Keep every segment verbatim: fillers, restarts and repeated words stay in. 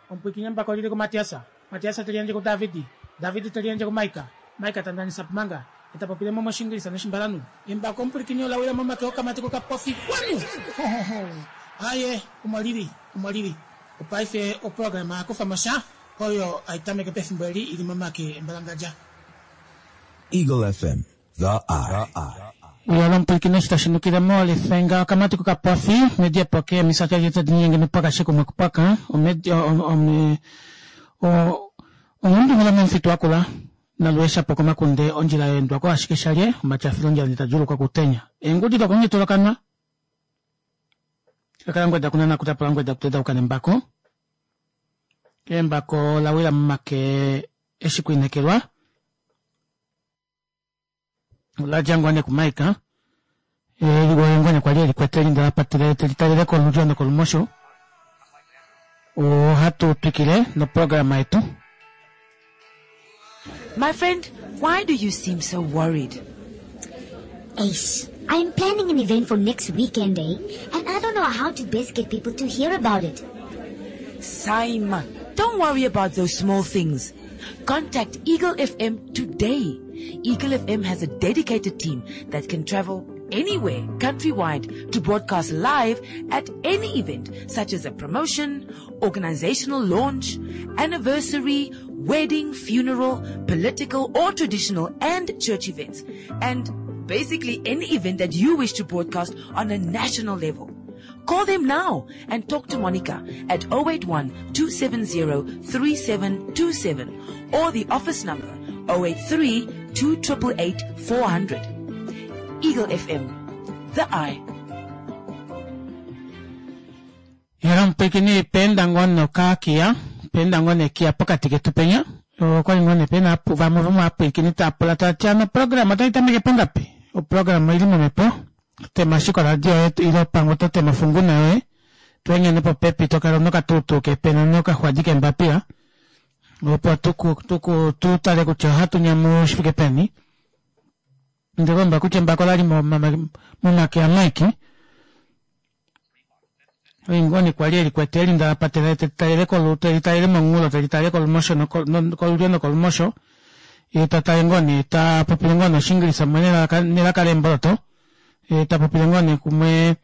Omupwiikini embako lili kuMatiasa, Matiasa teli yandje kuDavidi, Davidi teli yandje kuMaika, Maika ta ndanisa Manga, eta popile mo mOshingilisa nOshimbalanhu. Embako omupwilikini ola wila momake okamati kokapofi kwanu! Hohoho! Aaye, omo lili, omo lili. Opaife oprograma Kufa mo sha oyo hai tameke pefimbo eli i li momake embalangadja. Eagle F M, The Eye. Uya lomupwilikini eshi tashi nukile mo lefenga okamati kokapofi omedi epoke emisati adje tadi nyenge nopaka shekumwe kupaka omedi ome onghundumila momufitu wakula naluesha po komakunde ondjila yeendwa ko ashike shalye omatyafilo ondjila ndita kutenya eengudi dokongitolokanwa kakala ngweda kunana kutapula ngweda kuteda ukanembako embako lawila momake eshi kuinekelwa oladja ngoo nee kuMaika ngoo nee kwali elikwete linda lapatele telitalele kolulyo nokolumosho. Ohatu twikile noprograma yetu. My friend, why do you seem so worried? Ace, I'm planning an event for next weekend, eh? And I don't know how to best get people to hear about it. Saima, don't worry about those small things. Contact Eagle F M today. Eagle F M has a dedicated team that can travel anywhere countrywide to broadcast live at any event such as a promotion, organizational launch, anniversary, wedding, funeral, political or traditional and church events. And basically any event that you wish to broadcast on a national level. Call them now and talk to Monica at oh eight one two seven zero three seven two seven or the office number oh eight three two eight eight four hundred. Eagle F M, The Eye. Yala omupwiikini penda ngoo nokakiya penda ngoo nekiya pokati ketu penya okwali ngoo nee pena vamwe vomovapwiikini tava tati ano oprograma otayi tameke pongapi oprograma oili momhepo tema ashike oradio yoye ile pamwe oto tema ofunguna yoye tweengene popepi tokala nokatuutuu kepena nokaxwadi kembapila opo tuku tutale kutya ohatu nyamu shifike peni ndikomba kutya embako lali momake aMike oingoni kwali elikwete elinda lapatela telitalele telitalele mongulo telitalele kolumosho kolulyo nokolumosho ye tatale ngoo nee tapopile ngoo noshingilisa mumwe nelaka leemboloto ye tapopile ngoo nee kumwe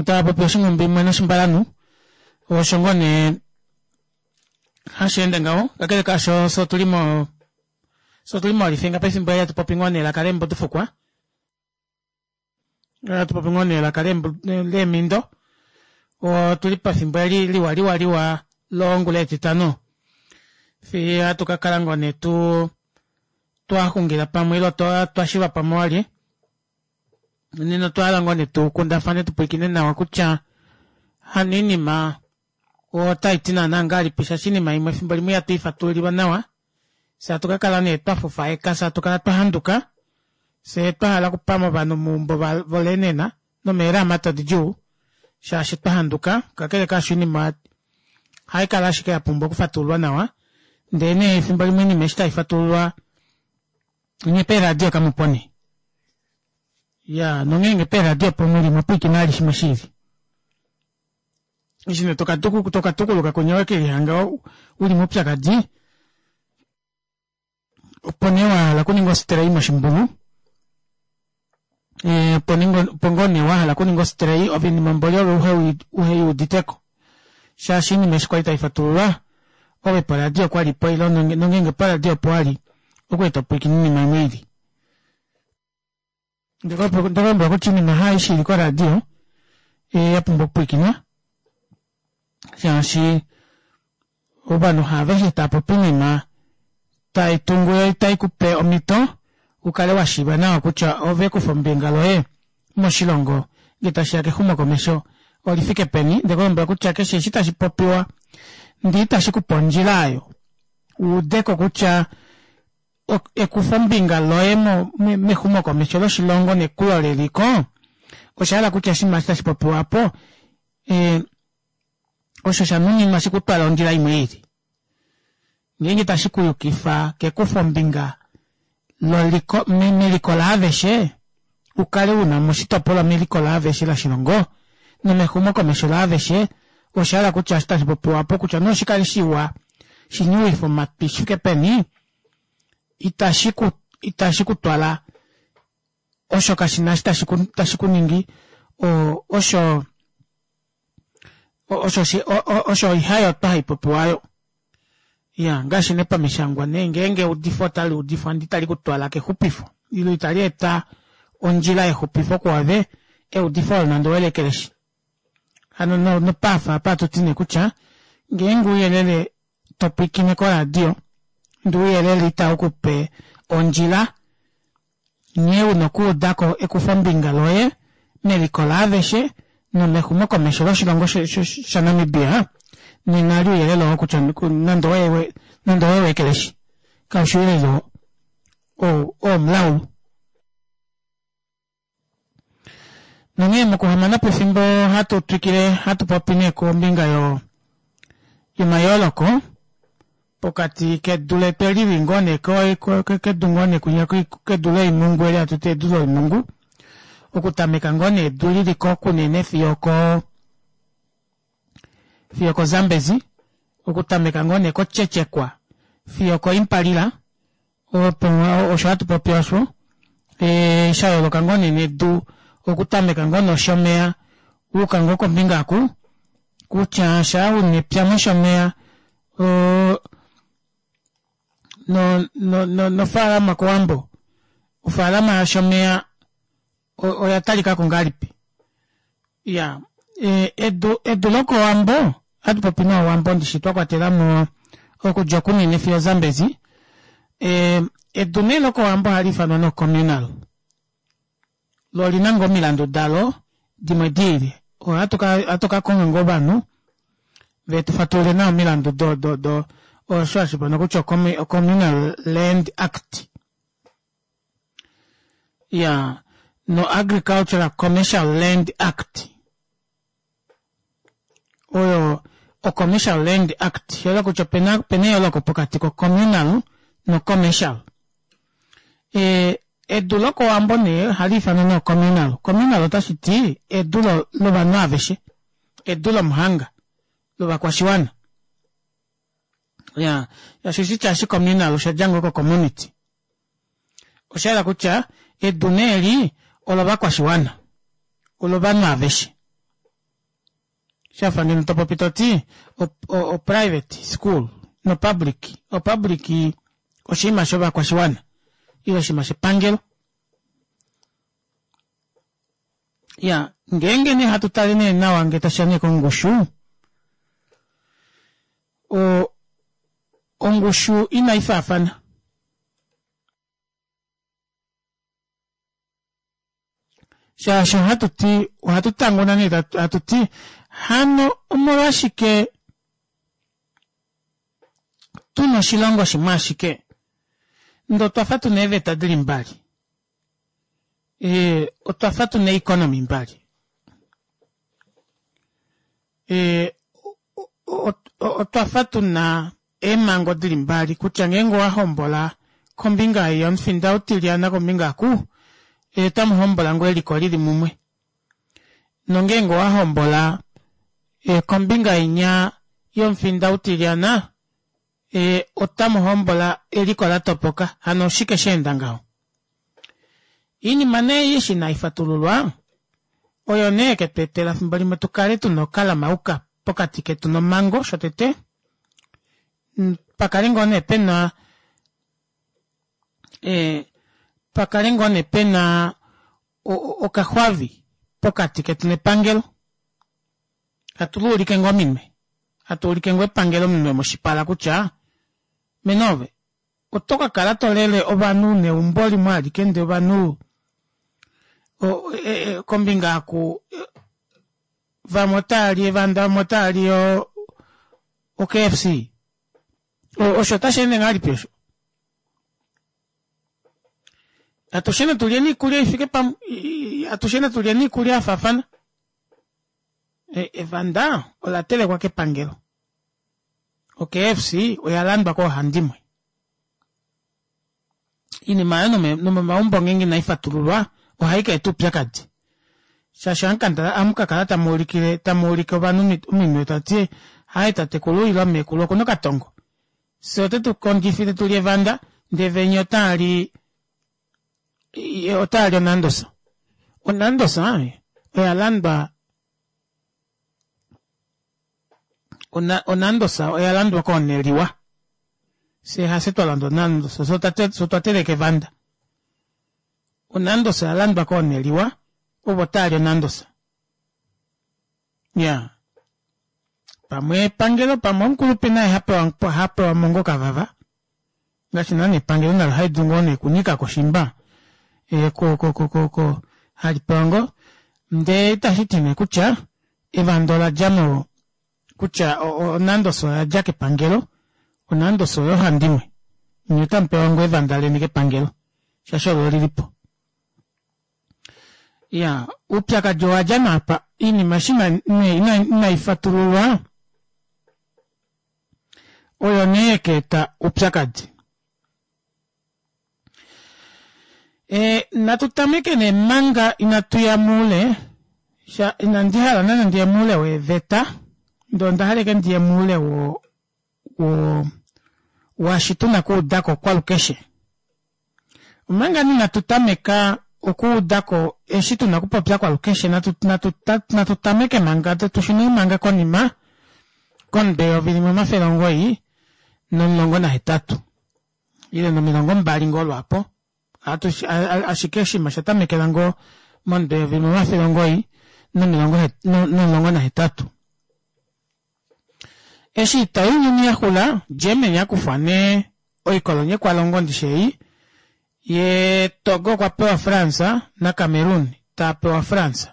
tapopi oshinghumbi mumwe noshimbalanhu osho ngoo nee hashi ende ngaho kakele kaasho so tuli mo so tuli molifinga pefimbo eli hatu popi ngoo nee elaka leembudufukwa hatu popi ngoo nee elaka leemindo otuli pefimbo eli liwa liwa liwa longula etitano fiyo hatu kakala ngoo nee tu twaxungila pamwe ile twashiva pamwe walye nena otwahala ngoo nee tukundafane tupwilikine nawa kutya hano oinima otaiti naana ngahelipi shaashi oinima imwe efimbo limwe ihatu ifatululilwa nawa fye hatu kakala nee twafufaeka fye hatu kala twahanduka fye twahala okupama ovanhu moumbo volenena nomeeramata didjuu shaashi twahanduka kakele kaasho oinima haikala ashike yapumbwa okufatululwa nawa ndee nee efimbo limwe oinima eshi taifatululwa nye peeradio kamupo nee ya nongeenge peeradio opo muli mwapwiikina vali shimwe shiili eshi nee tokatukuluka kunya wekelihanga uli moupyakadi opo nee wahala okuninga ostray moshimbulu opo ngoo nee wahala okuninga ostray oinima mboli ove uheyuuditeko shaashi oinima eshi kwali taifatululwa ove poradio kwalipo ile nongeenge poradio opo wali okwali topwiikine oinima imwe ili ndalombwela kutya oinima haaishe ili koradio yapumbwa okupwiikinwa shaashi ovanhu haaveshe taapopi oinima taitungu yo itaikupe omhito ukale washiiva nawa kutya ove ekufa ombinga loye moshilongo ngee tashiya kexumokomesho olifike peni ndekulombwela kutya keshe eshi tashi popiwa ndee itashikupe ondjila aayo wuudeko kutya ekufombinga loye mexumokomesho loshilongo nekulo leliko oshahala kutya oshinima eshi tashi popiwa aapo osho shanuninwa shikutwale ondjila imwe ili ngeenge tashi kuyukifa kekufombinga loliko meliko laaveshe ukale una moshitopolwa meliko laaveshe loshilongo nomexumokomesho laaveshe Osha hala kutya eshi tashi popiwa opo kutya noshikale shiwa shinyuwifa omatwi shifike peni, itashi ku itashi kutwala osho kashina eshi tashi ku tashi kuningi o osho osho osho ihayotwa haipopiwa aayo. Iya ngaashi nee pamishangwa nee ngeenge eudifo otali udifwa ndee itali kutwala kexupifo ile itali eta ondjila yexupifo kuove, eudifo olo nande owelekeleshi. Hano nopaafa apa hatuti nee kutya ngeenge ouyelele topwiikine koradio ndee ouyelele itaukupe ondjila nghee una okuudako ekufombinga loye meliko laaveshe nomexumokomesho loshilongo shaNamibia nena eli ouyelele oo kutya nande nande oweekeleshi kaushi ouyelele oo womulaulu. Nonghee mokuhamana pefimbo hatu twikile hatu popi nee kombinga yo yomayooloko pokati kedu letu eli lili ngoo nee kedu ngoo nee kwinya kedu loimhungu eli hatuti edu loimhungu, okutameka ngoo nee edu liliko kunene fiyo oko fiyo okoZambezi, okutameka ngoo nee koTjetjekwa fiyo okoImpalila opo osho hatu popi osho ee shayooloka ngoo nee nedu okutameka ngoo noshomeya wayuka ngoo kombinga oku kutya shaa una epya moshomeya oo no no nofaalama kowambo ofaalama yashomeya oya talikako ngahelipi. Iyaa edu edu lokowambo ohatupopi nee owambo ndishi twakwatelamo okudja kunene fiyo ozambezi ee edu nee lokowambo ohaliifanwa nee o communal loo olina ngoo omilandu dalo dimwe diili ohatu kakonga ngoo ovanhu vetufatululile nawa omilandu do do do osho hashiifanwa kutya o communal land act iyaa no agricultural commercial land act oyo o commercial land act oshahala kutya opena opena eyooloko pokati ko communal no commercial. Ee edu lokowambo nee ohaliifanwa nee o communal, communal otashiti edu lovanhu aveshe edu lomuhanga lovakwashiwana iyaa shaashi oshitya eshi communal oshadja ngoo ko community oshahala kutya edu nee eli olovakwashiwana olovanhu aveshe shafa ngeno topopi toti o private school no public, o public oshinima shovakwashiwana ile oshinima shepangelo. Iyaa ngeenge nee hatu tale nee nawa ngee tashiya nee kongushu o ongushu inaifaafana shaashi ohatuti ohatu tanguna nee hatuti hano omolwashike tuna oshilongo shimwe ashike ndee otwafa tuna eeveta dili mbali ee otwafa tuna eeconomy mbali ee otwafa tuna eemhango dili mbali kutya ngeenge owahombola kombinga ei yomufinda utilyana kombinga oku otamuhombola ngoo eliko lili mumwe nongeenge owahombola kombinga inya yomufinda utilyana otamuhombola eliko latopoka hano oshike shaenda ngaho. Oinima nee ei eshi inaifatululwa oyo nee yeketweetela efimbo limwe tukale tuna okalamauka pokati ketu nomhango shotete pakale ngoo nee pena ee pakale ngoo nee pena okaxwavi pokati ketu nepangelo hatu luulike ngoo ominwe hatuulike ngoo epangelo ominwe moshipala kutya mene ove oto kakala tolele ovanhu neumbo limwe alike ndee ovanhu kombinga oku vamwe otaali evanda vamwe otaali o K F C osho otasheende ngahelipi osho atushe natulyeni oikulya ifike pamwe atushe natulyeni oikulya yafaafana evanda ola telekwa kepangelo o K F C oyalandwa koohandimwe oinima aayo nomomaumbo ngeenge inaifatululwa ohaikaeta oupyakadi Shaashi amukakala tamuulikile tamuulike ovanhu ominwe tati haye tatekulu ile meekulu okuna okatongo. Fyee otetu kondjifile tuli evanda ndee venya otaali otaali onandosa. Onandosa oya landwa onandosa oya landwa kooneliwa. Fyee hafye twalanda onandosa fyee otwa teleka evanda. Onandosa oyalandwa kooneliwa ovo taali onandosa. Iyaa pamwe epangelo pamwe omukulupe naye hapewa hapewamo ngoo okavava ngaashi naana epangelo nalo halidulu ngoo nee okunyikako shimba ko ko ko halipewa ngoo ndee itashiti nee kutya evanda oladja mo kutya onandosa oyadja kepangelo onandosa oyohandimwe nyee otamupewa ngoo evanda leni kepangelo shaashi olo olilipo. Iyaa oupyakadi owadja nee apa oinima eshi nee inaifatululwa oyo nee yekaeta oupyakadi. Ee natu tameke nee manga inatuya moule inandi hala naana ndiye moule weeveta ndee ondahala ashike ndiye moule wo wo waashi tuna okuudako kwalukeshe. Omanga nee inatu tameka okuudako eshi tuna okupopya kwalukeshe natu natu natu tameke manga tushune manga konima komutwe weyovi limwe omafele omugoyi nomulongo nahetatu ile nomilongo mbali ngoo lwaapo ashike oshinima osha tamekela ngoo momutwe weyovi limwe omafele omugoyi nomilongo nomulongo nahetatu. Eshi oita younyuni yaxula Germany akufwa nee oikolonyekwalongo ndishi ei yee Togo okwa pewa France na Cameroon tapewa France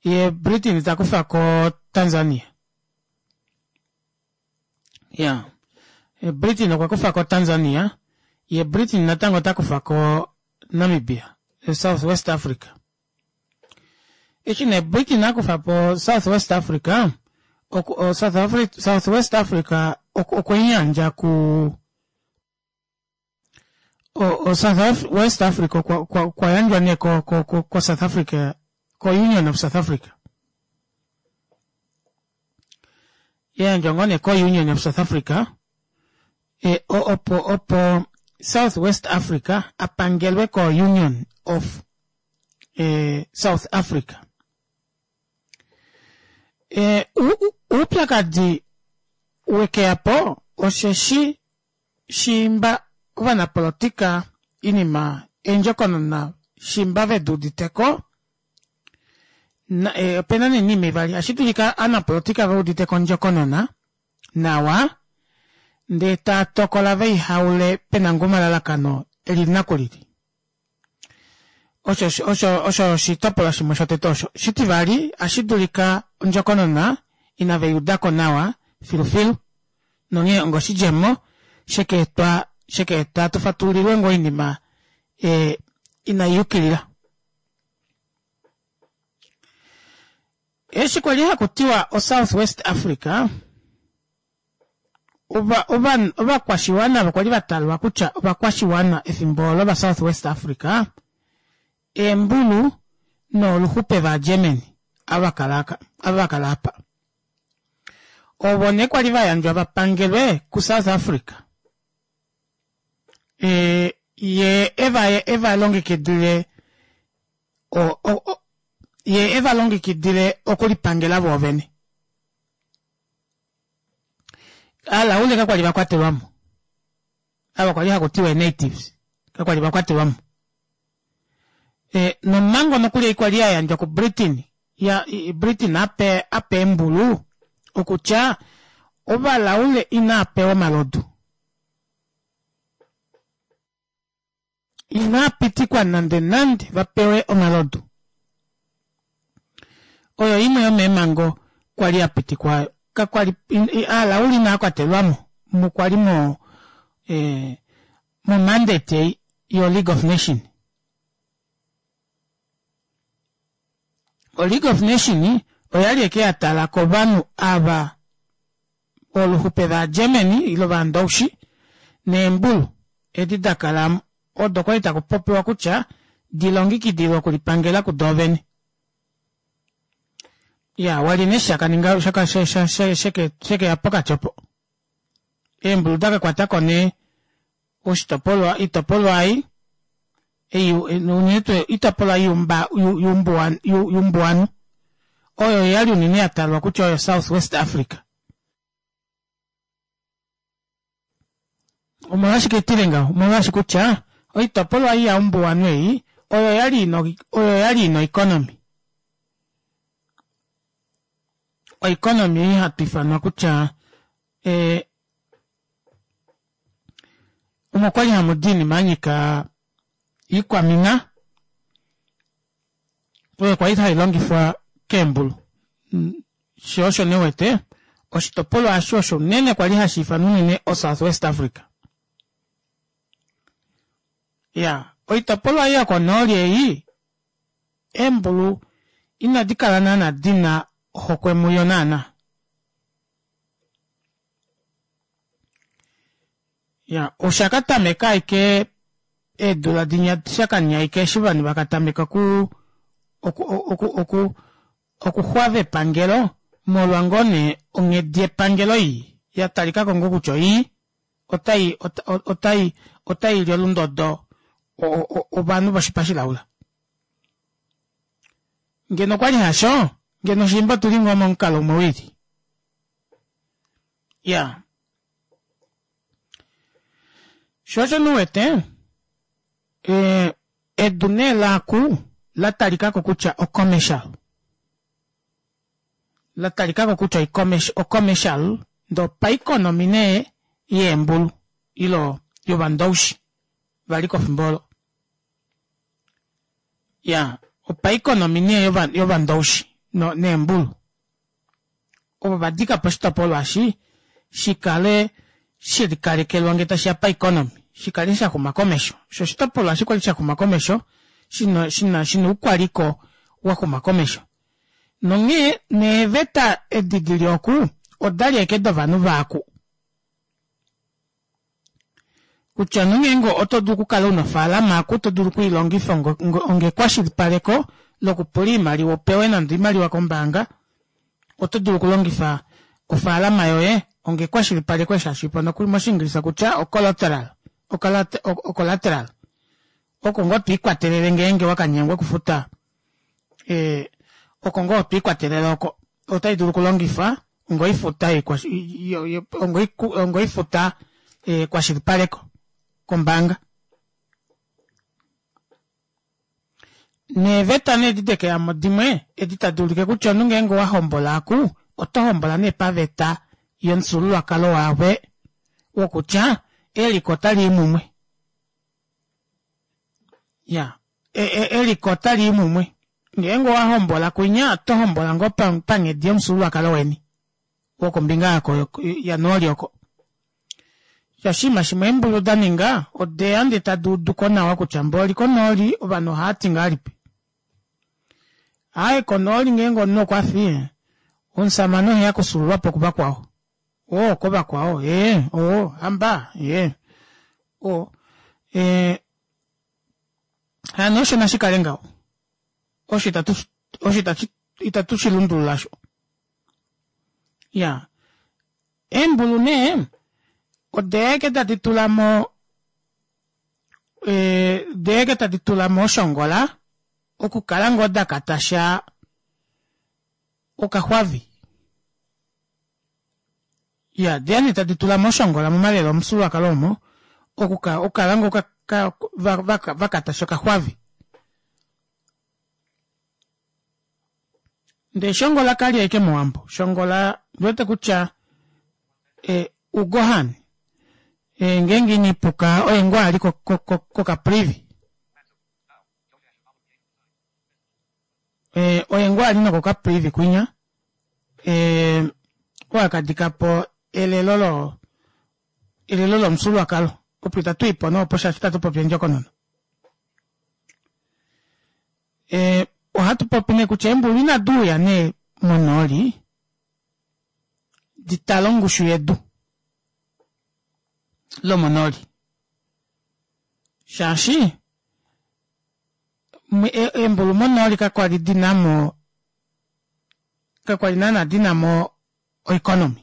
yee Britain takufako Tanzania. Iyaa Britain okwa kufako Tanzania yee Britain natango otakufako Namibia South West Africa. Eshi nee Britain akufapo South West Africa South West Africa okweyandja ku o South West Africa okwa yandjwa nee ko ko South Africa ko Union of South Africa. Yayandjwa ngoo nee ko Union of South Africa opo opo South West Africa apangelwe ko Union of South Africa. Oupyakadi wekeyapo osheshi shiimba ovanapolotika oinima eendjokonona shimba veduuditeko opena nee oinima ivali ohashidulika ovanapolotika veuditeko ondjokonona nawa ndee taatokola veihaule pena ngoo omalalakano elili nakulili. Osho osho osho oshitopolwa shimwe shotete osho. Shitivali ohashidulika ondjokonona ina veyudako nawa filufilu nonghee onga oshidjemo shekaetwa shekaeta tufatululilwe ngoo oinima inaiyukilila. Eshi kwali hakutiwa o South West Africa ovakwashiwana ovo kwali vatalwa kutya ovakwashiwana efimbo olo va South West Africa eembulu nooluxupe va Germany ava vakala apa. Ovo nee kwali vayandjwa vapangelwe ku South Africa. Yee evalongekidile yee evalongekidile okulipangela voovene. Alaule kakwali vakwatelwamo. Ava kwali hakutiwa natives kakwali vakwatelwamo. Nomhango nokuli kwali yayandjwa ku Britain ya Britain ape ape eembulu okutya ovalaule inaapewa omalodu. Inaapitikwa nande nande vapewe omalodu. Oyo imwe yomeemhango kwali yapitikwa kakwali aalaule inaakwatelwamo mukwali mo mo mandate yo League of Nation. O League of Nation oyali eke yatala kovanhu ava oluxupe va Germany ile ovandowishi neembulu edi dakala odo kwali takupopiwa kutya dilongekidilwe okulipangela kudoovene. Ya, wali nee shakaninga shaka sheke sheke ya pokati opo. Eembulu dakakwatako nee oshitopolwa oitopolwa ei ei unene tuu oitopolwa yumba yumbuwanhu oyo yali unene yatalwa kutya oyo South West Africa. Omolwashike tile ngaho? Omolwashi kutya oitopolwa ei yaumbuwanhu ei oyo yali ina oyo yali ina oeconomy. Oeconomy ei hatu ifanwa kutya ee omo kwali hamudi oinima yanyika iikwamina oyo kwali hailongifwa keembulu. Shoo osho nee uwete oshitopolwa osho osho unene kwali hashi ifanwa unene o South West Africa. Ya, oitopolwa ei yokonooli ei eembulu inadi kala naana dina ohokwe muyo naana. Ya, oshakatameka ashike eedula dinya shakanyaika eshi ovanhu vakatameka oku oku oku oku okuxwava epangelo molwa ngoo nee onghedi yepangelo ii yatalikako ngoo kutya oii otai otai otaili olundodo ovanhu voshipa shilaula. Ngeno okwali hasho ngeno shimba otuli ngoo momukalo umwe wili. Ya, sho osho nee uwete ee edu nee laaku latalikako kutya o commercial, latalikako kutya o commercial ndee opaeconomy nee yeembulu ilo yovandoushi valiko efimbo olo. Ya, opaeconomy nee yovandoushi neembulu ovo vadikapo oshitopolwa eshi shikale shelikalekelwa ngee tashiya paeconomy shikale shaxuma komesho shoo oshitopolwa eshi kwali shaxuma komesho shina shina shina oukwaliko waxuma komesho. Nonghee neeveta edi dili oku odali ashike dovanhu vaaku. Kutya nongeenge oto dulu okukala una ofaalama aku to dulu okwiilongifa onga ekwashilipaleko lokupula oimaliwa upewe nande oimaliwa kombaanga, oto dulu okulongifa ofaalama yoye onga ekwashilipaleko eshi hashi ifanwa moshiingilisa kutya o collateral, o collateral oko ngoo twiikwatelele ngeenge wakanyengwa okufuta ee oko ngoo twiikwatelele oko otai dulu okulongifwa onga oifuta onga oifuta ekwashilipaleko kombaanga. Neeveta nee edi dekeyamo dimwe edi tadi ulike kutya omunhu ngeenge owahombola aku oto hombola nee paveta yomufyuululwakalo wave wokutya eliko otalii mumwe. Ya, eliko otalii mumwe. Ngeenge owahombola kwinya oto hombola ngoo panghedi yomufyuululwakalo weni wokombinga yako yanooli oko. Shaashi oshinima shimwe eembulu daninga odeya ndee tadi uduko nawa kutya mboli konooli ovanhu ohaati ngahelipi. Aaye konooli ngeenge omunhu okwafi omushamane oheya okufyuululwapo kuvakwao. Oo kovakwao ee oo hamba ee o ee hano osho nashikale ngaho osho itatu osho itatu shilundulula osho. Iyaa, eembulu nee odeya ashike tadi tulamo odeya ashike tadi tulamo oshongola okukala ngoo dakatasha okaxwavi. Iya, odeya nee tadi tulamo oshongola momalelo omufyuululwakalo omo okukala ngoo vakatasha okaxwavi. Ndee shongola kali ashike mowambo, shongola ondiwete kutya e uGohan e ngeenge iniipuka oye ngoo ali koCaprivi. E oye ngoo ali nokoCaprivi kwinya e oo akadikapo elelo lo elelo lomufyuululwakalo opo itatuipo nee opo shaashi itatu popi ondjokonona. E ohatu popi nee kutya eembulu inadi uya nee monooli ditale ongushu yedu lomonooli shaashi eembulu monooli kakwali dinamo Kakwali naana dinamo oeconomy.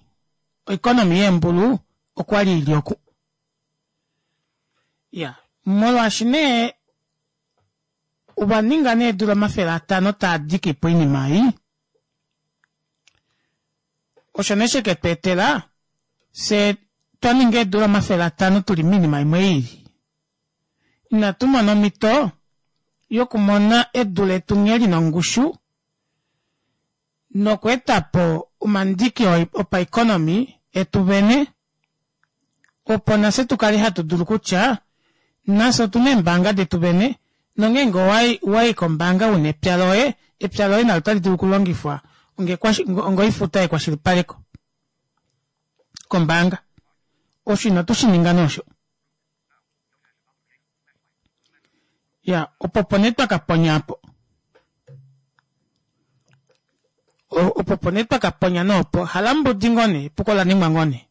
Oeconomy yeembulu okwali ili oku. Ya molwaashi nee ovaninga nee eedula omafele atano taadikipo oinima ei, osho nee sheketweetela fyee twaninga eedula omafele atano tuli moinima imwe iili. Inatu mona omito yokumona edu letu nghee lina ongushu nokweetapo omandiki opaeconomy etu vene opo nafye tukale hatu dulu kutya nafye otuna eembaanga detu vene nongeenge owayi kombaanga una epya loye epya loye nalo ota lidulu okulongifwa onga oifuta yekwashilipaleko kombaanga osho ina tushininga nee osho iya opo opo nee twakaponya aapo opo opo nee twakaponya nee opo halambudi ngoo nee epuko olaningwa ngoo nee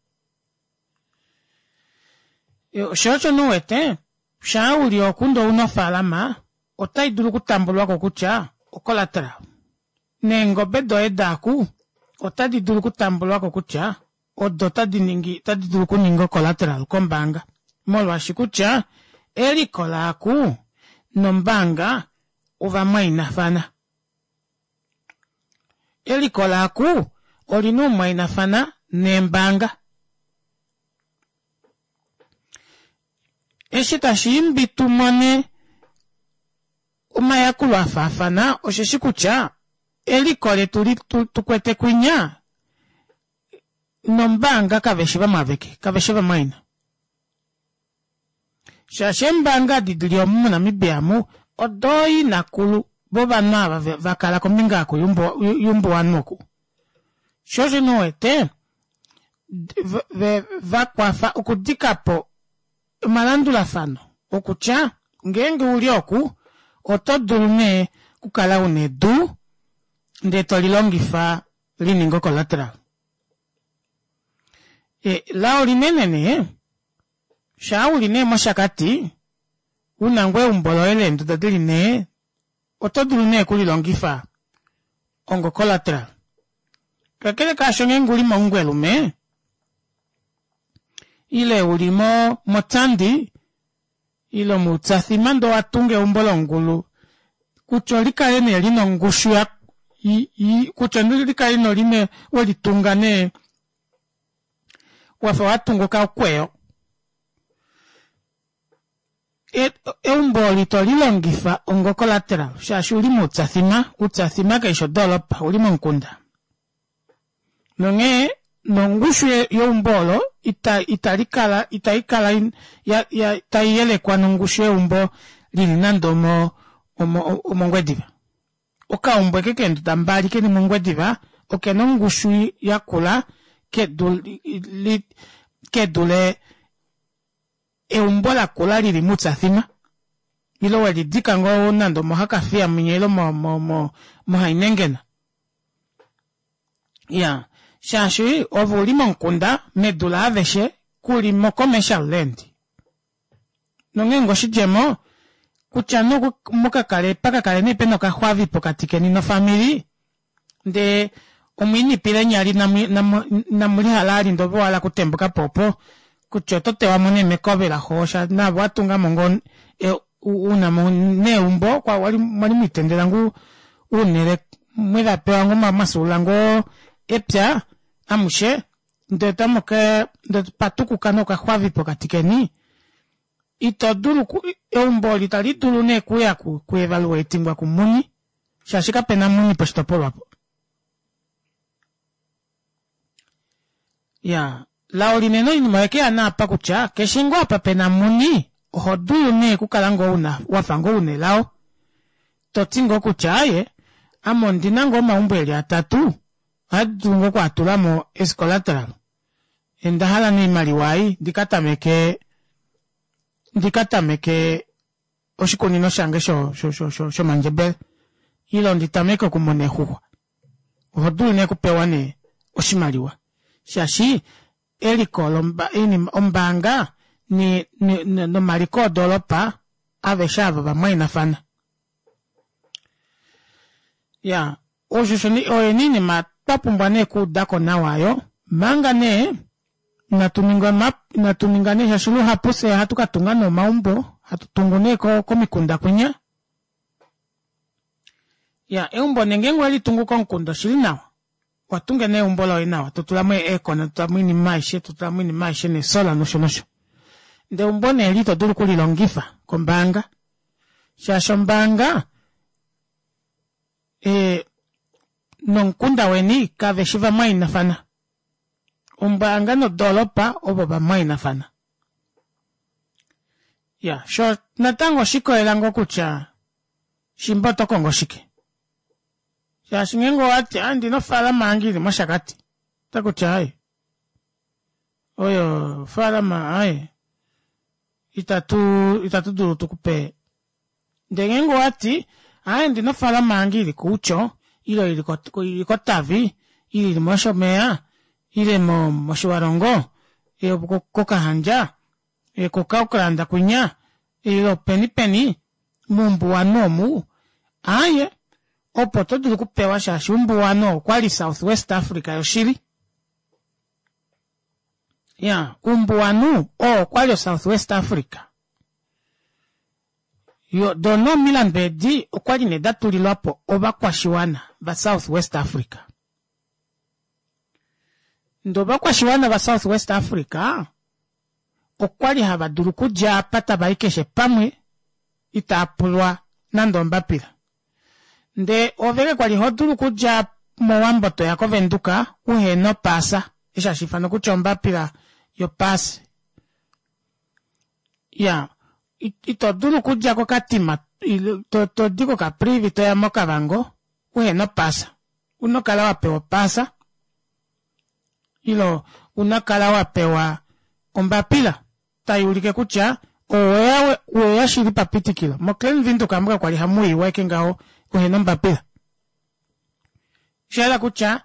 shoo osho nee uwete shaa uli oku ndee ouna ofalama ota idulu okutambulwako kutya o collateral neengobe doye daaku ota didulu okutambulwako kutya odo tadiningi ota didulu okuninga o collateral kombaanga molwaashi kutya eliko laaku nombaanga ovamwainafana eliko laaku olina oumwainafana neembaanga eshi tashiimbi tumone omayakulo afaafana osheshi kutya eliko letu tukwete kwinya nombaanga kaveshi vamwe aveke kaveshi vamwaina shaashi eembaanga edi dili omu monamibia amu odooinakulu vovanhu ava vakala kombinga oku yumbuwanhu oku shoo osho nee uwete vakwafa okudikapo omalandulafano okutya ngeenge uli oku oto dulu nee okukala una edu ndee tolilongifa lininge o collateral. Lao linene nee shaa uli nee moshakati una ngoo eumbo loye leenduda dili nhee oto dulu nee okulilongifa onga collateral kakele kaasho ngeenge uli momungwelume ile uli mo motsandi ile moutsathi nande owatunga eumbo longulu kutya olikale nee lina ongushu kutya olikale nee welitunga nee wafa watunga okakweyo eumbo olo ito lilongifa onga collateral shaashi ouli moutsathima, outsathima kaifi odoropa ouli momukunda nonghee nongushu yeumbo olo italikala itaikala taiyelekwa nongushu yeumbo lili nande omo omongwediva okaumbo ashike keenduda mbali keli mongwediva okena ongushu yakula kedule eumbo lakula lili moutsathima ile welidika ngoo nande omohakafiya mwinya ile mohainengena iyaa shaashi ove uli momukunda medu laaveshe kuli mo commercial land nongeenge oshidjemo kutya nee mukakale pakakale nee pena okaxwavi pokati keni nofamili ndee omwiinipila eenyali inamulihala vali ndee ove owahala okutembukapo opo kutya oto tewamo nee mekove laxo naave owatungamo ngoo unamo neumbo mwali mwiitendela ngoo ounele mwevapewa ngoo mwafyuulula ngoo epya amushe ndee otamuka ndee patukuka nee okaxwavi pokati keni ito dulu eumbo olo ita lidulu nee okuuya ku evaluatingwa kumuni shaashi kapena muni poshitopolwa opo iyaa lao linene oinima oyekeya nee apa kutya keshe ngoo apa pena muni ohodulu nee okukala ngoo una wafa ngoo una elao toti ngoo kutya aaye ame ondina ngoo omaumbo eli atatu ohadidulu ngoo okwaatulamo as collateral ondahala nee oimaliwa ei ndikatameke ndikatameke oshikunino shange shomandjebele ile nditameke okumuna eexuxwa ohodulu nee okupewa nee oshimaliwa shaashi eliko ombaanga nomaliko odoropa aveshe aava ovamwainafana. Iyaa Osho oyo nee oinima twa pumbwa nee okuudako nawa oyo manga nee inatu ninga inatu ninga nee shaashi luhapu fyee ohatu katunga nee omaumbo hatu tungu nee komikunda kwinya. Iyaa eumbo nee ngenge owelitungu komukunda oshili nawa owatunga nee eumbo loye nawa totulamo ee aircon totulamo oinima aishe totulamo oinima aishe nee solar nosho nosho ndee eumbo nee eli ito dulu okulilongifa kombaanga shaashi ombaanga ee nomukunda weni kaveshi vamwainafana ombaanga nodoropa ovo vamwainafana iya shoo natango oshikolela ngoo kutya shimba otokongo shike shaashi ngeenge owati aaye ondina ofalama yange ili moshakati otakuti aaye oyo ofalama aaye itatu itatu dulu tukupe ndee ngeenge owati aaye ondina ofalama yange ili koutsho ile ili kotavi ile ili moshomeya ile motjiwarongo kokahandja ko kaoklanda kwinya ile openi peni moumbuwanhu omu aaye opo otodulu okupewa shaashi umbuwanhu okwali south west africa yoshili iyaa umbuwanhu oo okwali o south west africa doo nee omilandu edi okwali nee datulilwapo ovakwashiwana va south west africa ndee ovakwashiwana va south west africa okwali hava dulu okudja apa tavai keshe pamwe itaapulwa nande ombapila ndee ove kakwali hodulu okudja mowambo toya ko venduka uhena opassa eshi hashiifanwa kutya ombapila yo pass iyaa ito dulu okudja kokatima todi ko caprivi toya mokavango uhena opassa ouna okukala wapewa opassa ile ouna okukala wapewa ombapila tayuulike kutya oweya weya shili papitikilo mo Klein Windhoek amu kakwali hamuyiwa ashike ngaho uhena ombapila oshahala kutya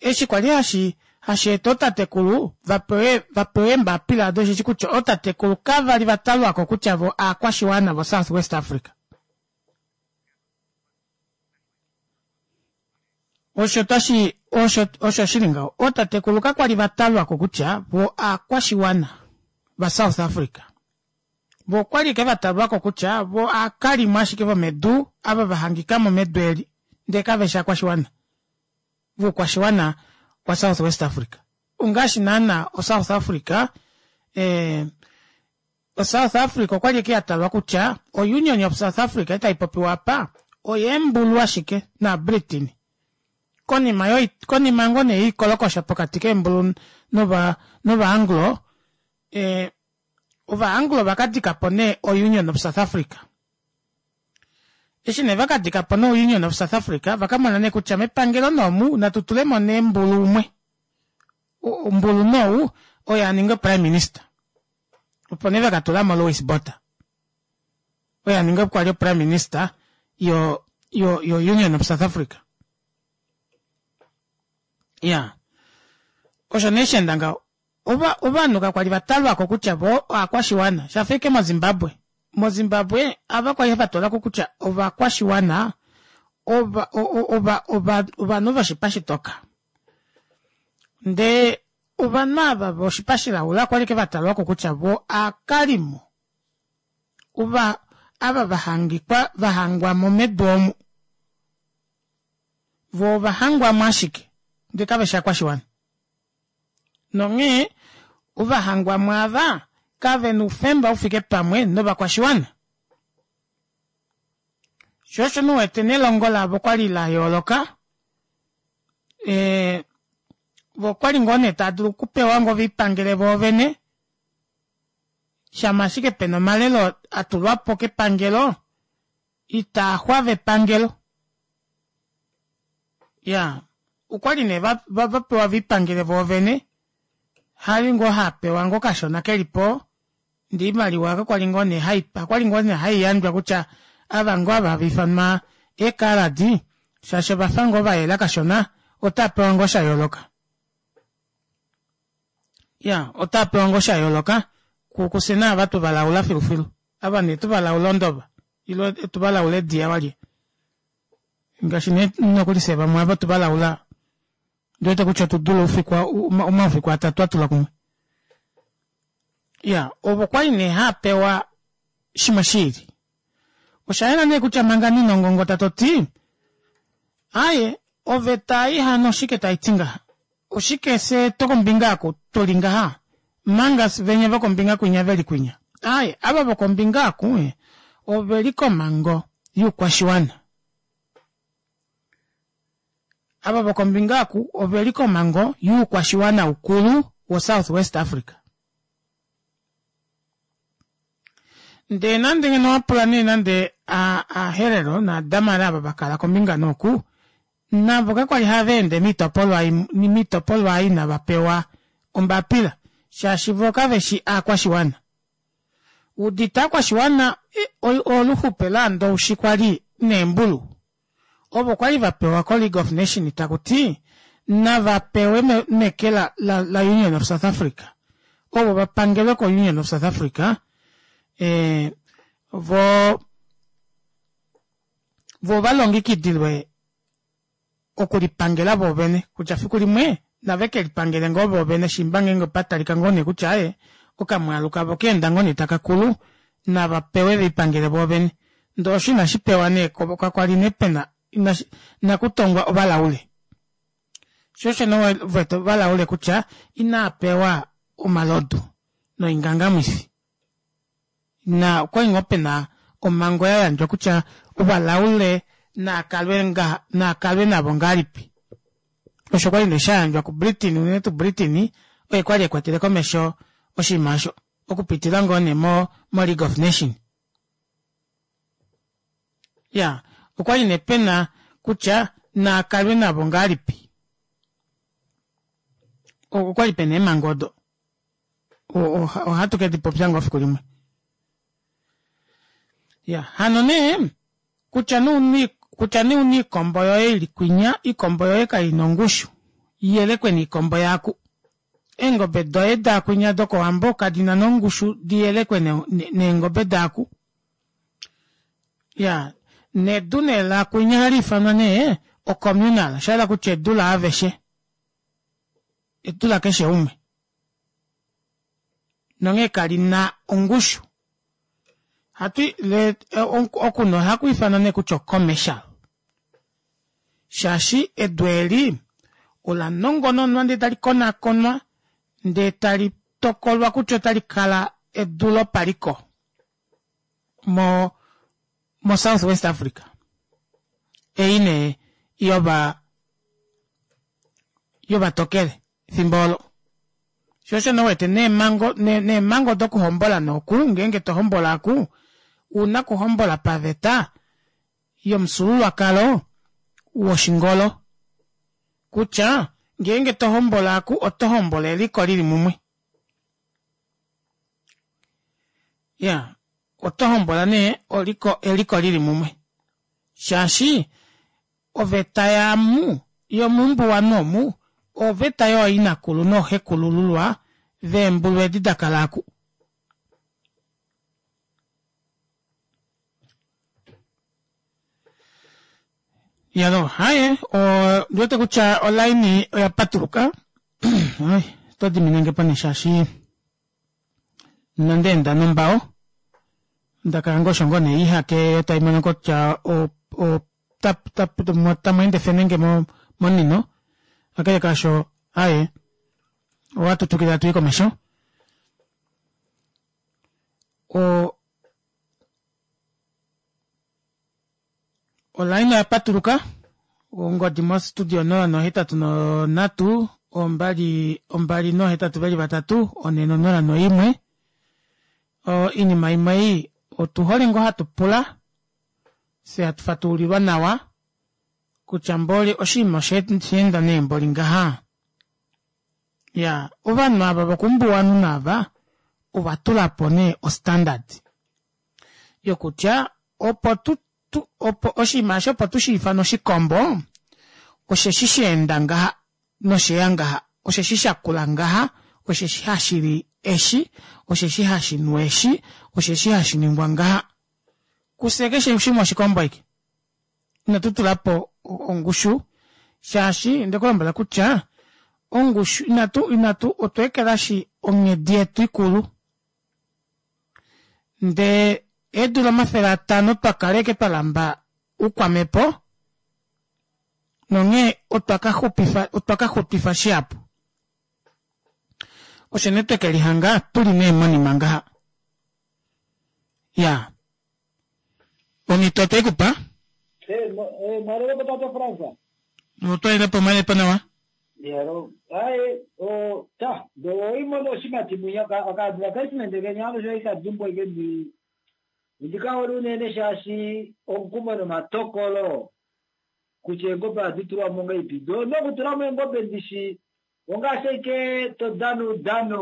eshi kwali hashi hasheeta ootatekulu vapewe vapewe eembapila odo osheshi kutya ootatekulu kavali vatalwako kutya voo aakwashiwana vo south west africa osho tashi osho osho shili ngaho ootatekulu kakwali vatalwako kutya voo aakwashiwana va south africa voo okwali ashike vatalwako kutya voo aakalimo ashike vomedu ava vahangikamo medu eli ndee kaveshi aakwashiwana voukwashiwana wa south west africa ongaashi naana o south africa ee o south africa okwali ashike yatalwa kutya o union of south africa ei taipopiwa apa oyeembulu ashike na britain konima yo konima ngoo nee yoikolokosha pokati keembulu nova nova anglo ee ova anglo vakadikapo nee o union of south africa eshi nee vakadikapo no union of south africa vakamona nee kutya mepangelo noomu natu tulemo nee mbulu umwe mbulu nou oye aninge prime minister opo nee vakatulamo Louis Botha oye aninga kwali prime minister yo yo yo union of south africa iya osho nee shaenda ngaho ova ovanhu kakwali vatalwako kutya voo aakwashiwana shafa ashike mozimbabwe mozimbabwe ava kwali vatalwako kutya ovakwashiwana ova ova ova ovanhu voshipa shitoka ndee ovanhu ava voshipa shilaula okwali ashike vatalwako kutya voo aakalimo ova ava vahangikwa vahangwamo medu omu voo ovahangwamo ashike ndee kaveshi aakwashiwana nonghee ovahangwamo ava kavena oufemba ufike pamwe novakwashiwana shoo osho nee uwete nelongo lavo okwali layooloka ee voo okwali ngoo nee taadulu okupewa ngoo viipangele voovene shama ashike pena omalelo atulwapo kepangelo itaaxwava epangelo iyaa okwali nee vapewa viipangele voovene hali ngoo hapewa ngoo kashona kelipo ndee oimaliwa kakwali ngoo nee hakwali ngoo nee haiyandjwa kutya ava ngoo ava hava ifanwa eekaladi shaashi ovafa ngoo vayela kashona otaapewa ngoo shayooloka iya otaapewa ngoo shayooloka kufye naava tuvalaula filufilu ava nee tuvalaula ondova ile tuvalaula ediya walye Ngaashi nee nokuli fye vamwe ava tu valaula ndiwete kutya otu dule oufiku omaufiku atatu a tula kumwe. Ya, ovo kwali nee haapewa shimwe shiili. Osha yela nee kutya manga ninongongota toti aaye oveta ei hano oshike tai ti ngaha? Oshike fye tokombinga aku tuli ngaha manga venye vokombinga kwinya veli kwinya? Aaye, ava vokombinga aku oveli komango youkwashiwana. Ava vokombinga aku oveli komango youkwashiwana ukulu wo South West Africa. Ndee nande ngeno wapula nee nande aHerero naaDamara ava vakala kombinga nooku navo kakwali hava ende miitopolwa miitopolwa ei inava pewa ombapila shaashi voo kaveshi aakwashiwana. Udite aakwashiwana oluxupe laandowishi kwali neembulu ovo kwali vapewa ko League of Nation takuti nava pewe meke la, la, la Union of South Africa ovo vapangelwe ko Union of South Africa e, vo vo valongekidilwe okulipangela voovene kutya fiku limwe nave ke lipangele ngoo voovene shimba ngeenge opatalika ngoo nee kutya aye okamwaalu kavo keenda ngoo nee taka kulu nava pewe velipangele voovene. Ndee osho inashi pewa nee kakwali nee pena inakutongwa ovalaule. Sho osho nee uvete ovalaule kutya inaapewa omalodu noingangamwifi. Na okwali ngoo pena omango ya yandjwa kutya ovalaule naakalwe nga naakalwe navo ngahelipi. Osho kwali nee sha yandjwa kuBritain, unene tuu Britain oye kwali ekwatele komesho oshinima osho okupitila ngoo nee mo, mo League of Nation. Ya, okwali nee pena kutya naakalwe navo ngahelipi. Okwali pena eemhango odo. Ohatu ke dipopya ngoo fiku limwe. Ya, hano nee kutya nee kutya nee una iikombo yoye ili kwinya, iikombo yoye kaina ongushu iyelekwe niikombo yaaku. Eengobe doye daakwinya dokowambo kadina nongushu diyelekwe neengobe daaku. Ya, nedu nee laakwinya ohali ifanwa nee ocommunal, osha kutya edu laaveshe. Edu lakeshe umwe. Nonghee kalina ongushu. Hatu le okuno ohaku ifanwa nee kutya ocommercial. Shaashi edu eli ola nongononwa ndee tali konakonwa ndee tali tokolwa kutya otali kala edu lopaliko mo mo South West Africa. Ei nee yova yovatokele efimbo olo. Sho osho nee uwete neemhango neemhango dokuhombola noku ngeenge tohombola aku una kuhombola paveta yomufyuululwakalo woshingolo. Kutya ngeenge tohombola aku oto hombola eliko lili mumwe. Ya, oto hombola nee oliko eliko lili mumwe. Shaashi oveta yaamu yomumbuwanhu omu oveta yooinakulu nooxekulululwa veembulu edi dakala aku. Yalo, haye, ondiwete kutya olaini oya patuluka. Oto diminenge po nee shaashi nondeenda nombao ndakala ngoo osho ngoo nee ihake yo tai mono kutya tamu ende fenenge momunino. Kakele kaasho aye ohatu twikile hatu i komesho. O olaini oya patuluka ongodi mostudio onola nohetatu nonhatu ombali ombali nohetatu veli vatatu one nonola noimwe. Oinima imwe ei otuhole ngoo hatu pula fye hatu fatululilwa nawa kutya mboli oshinima oshaenda nee mboli ngaha. Ya, ovanhu ava vokumbuwanhu naava ova tulapo nee ostandard yokutya opo tu opo oshinima eshi opo tushiifane oshikombo osheshi shaenda ngaha nosheya ngaha, osheshi shakula ngaha, osheshi hashili eshi, osheshi hashinu eshi, osheshi hashi ningwa ngaha. Kufye keshe shimwe oshikombo aike. Inatu tulapo ongushu shaashi ndekulombwela kutya ongushu inatu inatu otweekelashi onghedi yetu ikulu ndee eedula omafele atano twakaleke twalamba uukwamepo nonghee otwa ka xupifa otwa ka xutifa shihapu osho nee twekelihanga tuli nee monima ngaha ya omhito otoikupa mwalelepo tate Fransa. otwailepo mwailepo nawa Yero, ai o ta, do imono oshimati mwinya ka advertisement kenya ano sho ikadumbo ike ndi ndikaholi unene shaashi omukumo nomatokolo kutya eengobe ohadi tulwa mo ngaipi do nokutula mo eengobe ndishi ongaashi ashike to dana oudano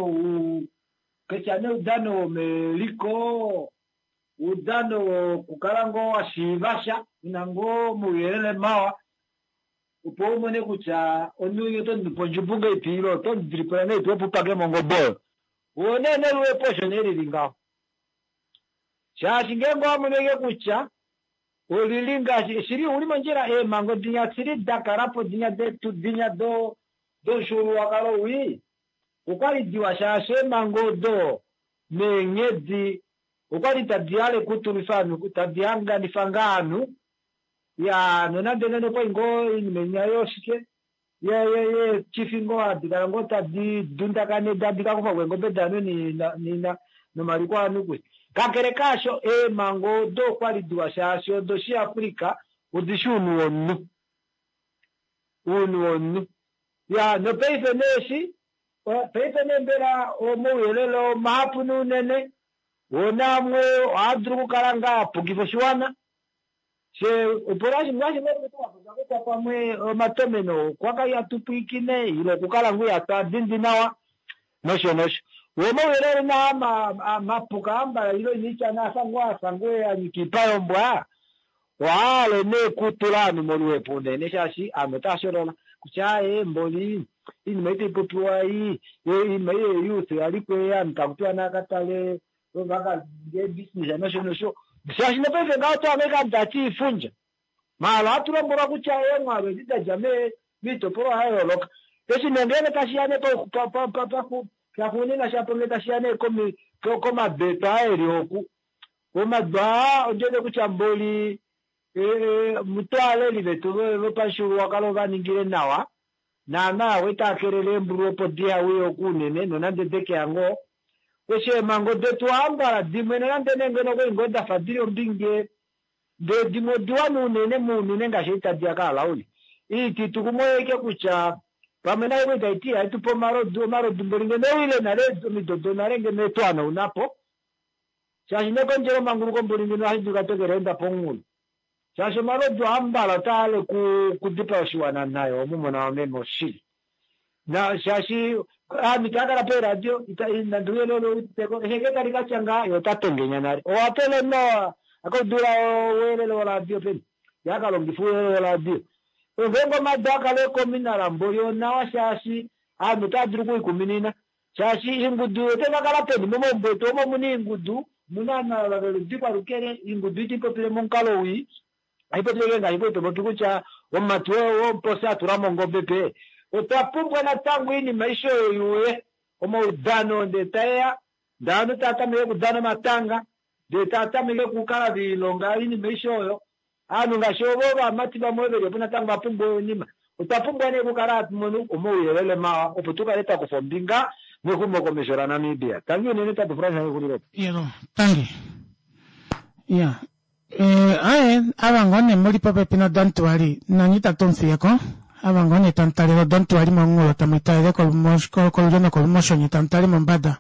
ketya nee oudano womeliko oudano wokukala ngoo washiiva sha una ngoo omauyelele mawa opo umone kutya omunhu oto mupe ondjumbu ngaipi ile oto mudilipula ngaipi opo upake mo ongobe oyo wo nee neluwepo osho nee lili ngaho shaashi ngeenge owamono ashike kutya olili ngaashi shili uli mondjila eemhango dinya shili dakalapo dinya detu dinya do domufyuululwakalo wii okwali diwa shaashi eemhango odo neenghedi okwali tadi hale kutulwifa ovanhu tadi hanganifa ngaa ovanhu ya nonande nene okwali ngoo oinima inya yoshike yeechifi ngoo hadi kala ngoo tadi dundakane tadi kakufako eengobe daanhu nomaliko aanhu kwi kakele kaasho eemhango odo okwali diwa shaashi odo shiAfrica odishi ounhu womunhu ounhu womunhu ya nopaife neeshi paife nee mbela omauyelele mahapu nuunene wona amwe ohaadulu okukala ngaa apukifa oshiwana she opo ngaashi kutya pamwe omatomeno okwakali atupwiikine ile okukala ngoo ihatu nawa nosho nosho wo omauyelele naa mapuka ambala ile iniityana afa ngoo afa ngoo anyika iipa yombwa ohaale nee kutula ovanhu moluhepo unene shaashi ovanhu otaa sholola kutya aaye mboli iinima ei taipopiwa ei iinima ei yeyouth oyaliko ovanhu takutiwa naakatale vakaninge ebusiness nosho nosho shaashi nopaife ngaho otwaanga ike tati iifundja maala ohatu lombwelwa kutya eemwaalu edi dadja miitopolwa ya yooloka eshi nee ngeenge tashiya nee shaxuuninwa shapo ngee tashiya nee komabeto aa eli oku omadu aa ondiwete kutya mboli mutwaaleli vetu vopamufyuululwakalo vaningile nawa naana oita kelele eembulu opo dihauye oku unene nonande dekeya ngoo eshi eemhango detu ohambala dimwe nonande nee ngeno okwali ngoo dafa dili ombinge ndee dimwe odiwa nuunene muunene ngaashi ei tadiya kaalauli iititu kumwe oike kutya pamwe nayo kwali taiti ihaitupe omalodu omalodu mboli ngeno oile nale omido donale ngeno etwaanaunapo shaashi nekondjelo manguluko mboli ngeno ohashi dulika twekeleenda pomunghulo shaashi omalodu ohambala otaale kudipaa oshiwana nayo omumona wameme oshili na shaashi aanhu itaakala peeradio nande ouyelele outeko eshe tali katya ngaa ye ota tongenya nale owapele noa akaudula ouyelele woradio peni ye akalongifa ouyelele woradio ngeenge omadu akale kominala mboli onawa shaashi aanhu otaa dulu okuikuminina shaashi ingudu otekakala peni momaumbo etu omo muna iingudu muna ovanhu veludikwa lukele ingudu itiipopile momukalo wii aipopile ngaashi kwali kutya omumati womuposi atula mongobe pe otwa pumbwa natango iinima aishe oyo yuuye omaudano ndee taeya ndee ovanhu tava tameke okudana omatanga ndee tava tameke okukala viilonga iinima aishe oyo ovanhu ngaashi ovo ovamati vamwe velipo natango vapumbwa oinima otwa pumbwa nee okukala hatu mono omauyelele mawa opo tukale twakufa ombinga mexumokomesho laNamibia. Tangi unene tate Frans exulilopo. Yelo, tangi. Ya. Eh, aye, ava ngoo nee muli popepi noDontuali, nanye itatu mufiyeko. Ava ngoo nee tamu talele oDontuali momunghulo tamu italele kolulyo nokolumosho nye tamu tale mombada.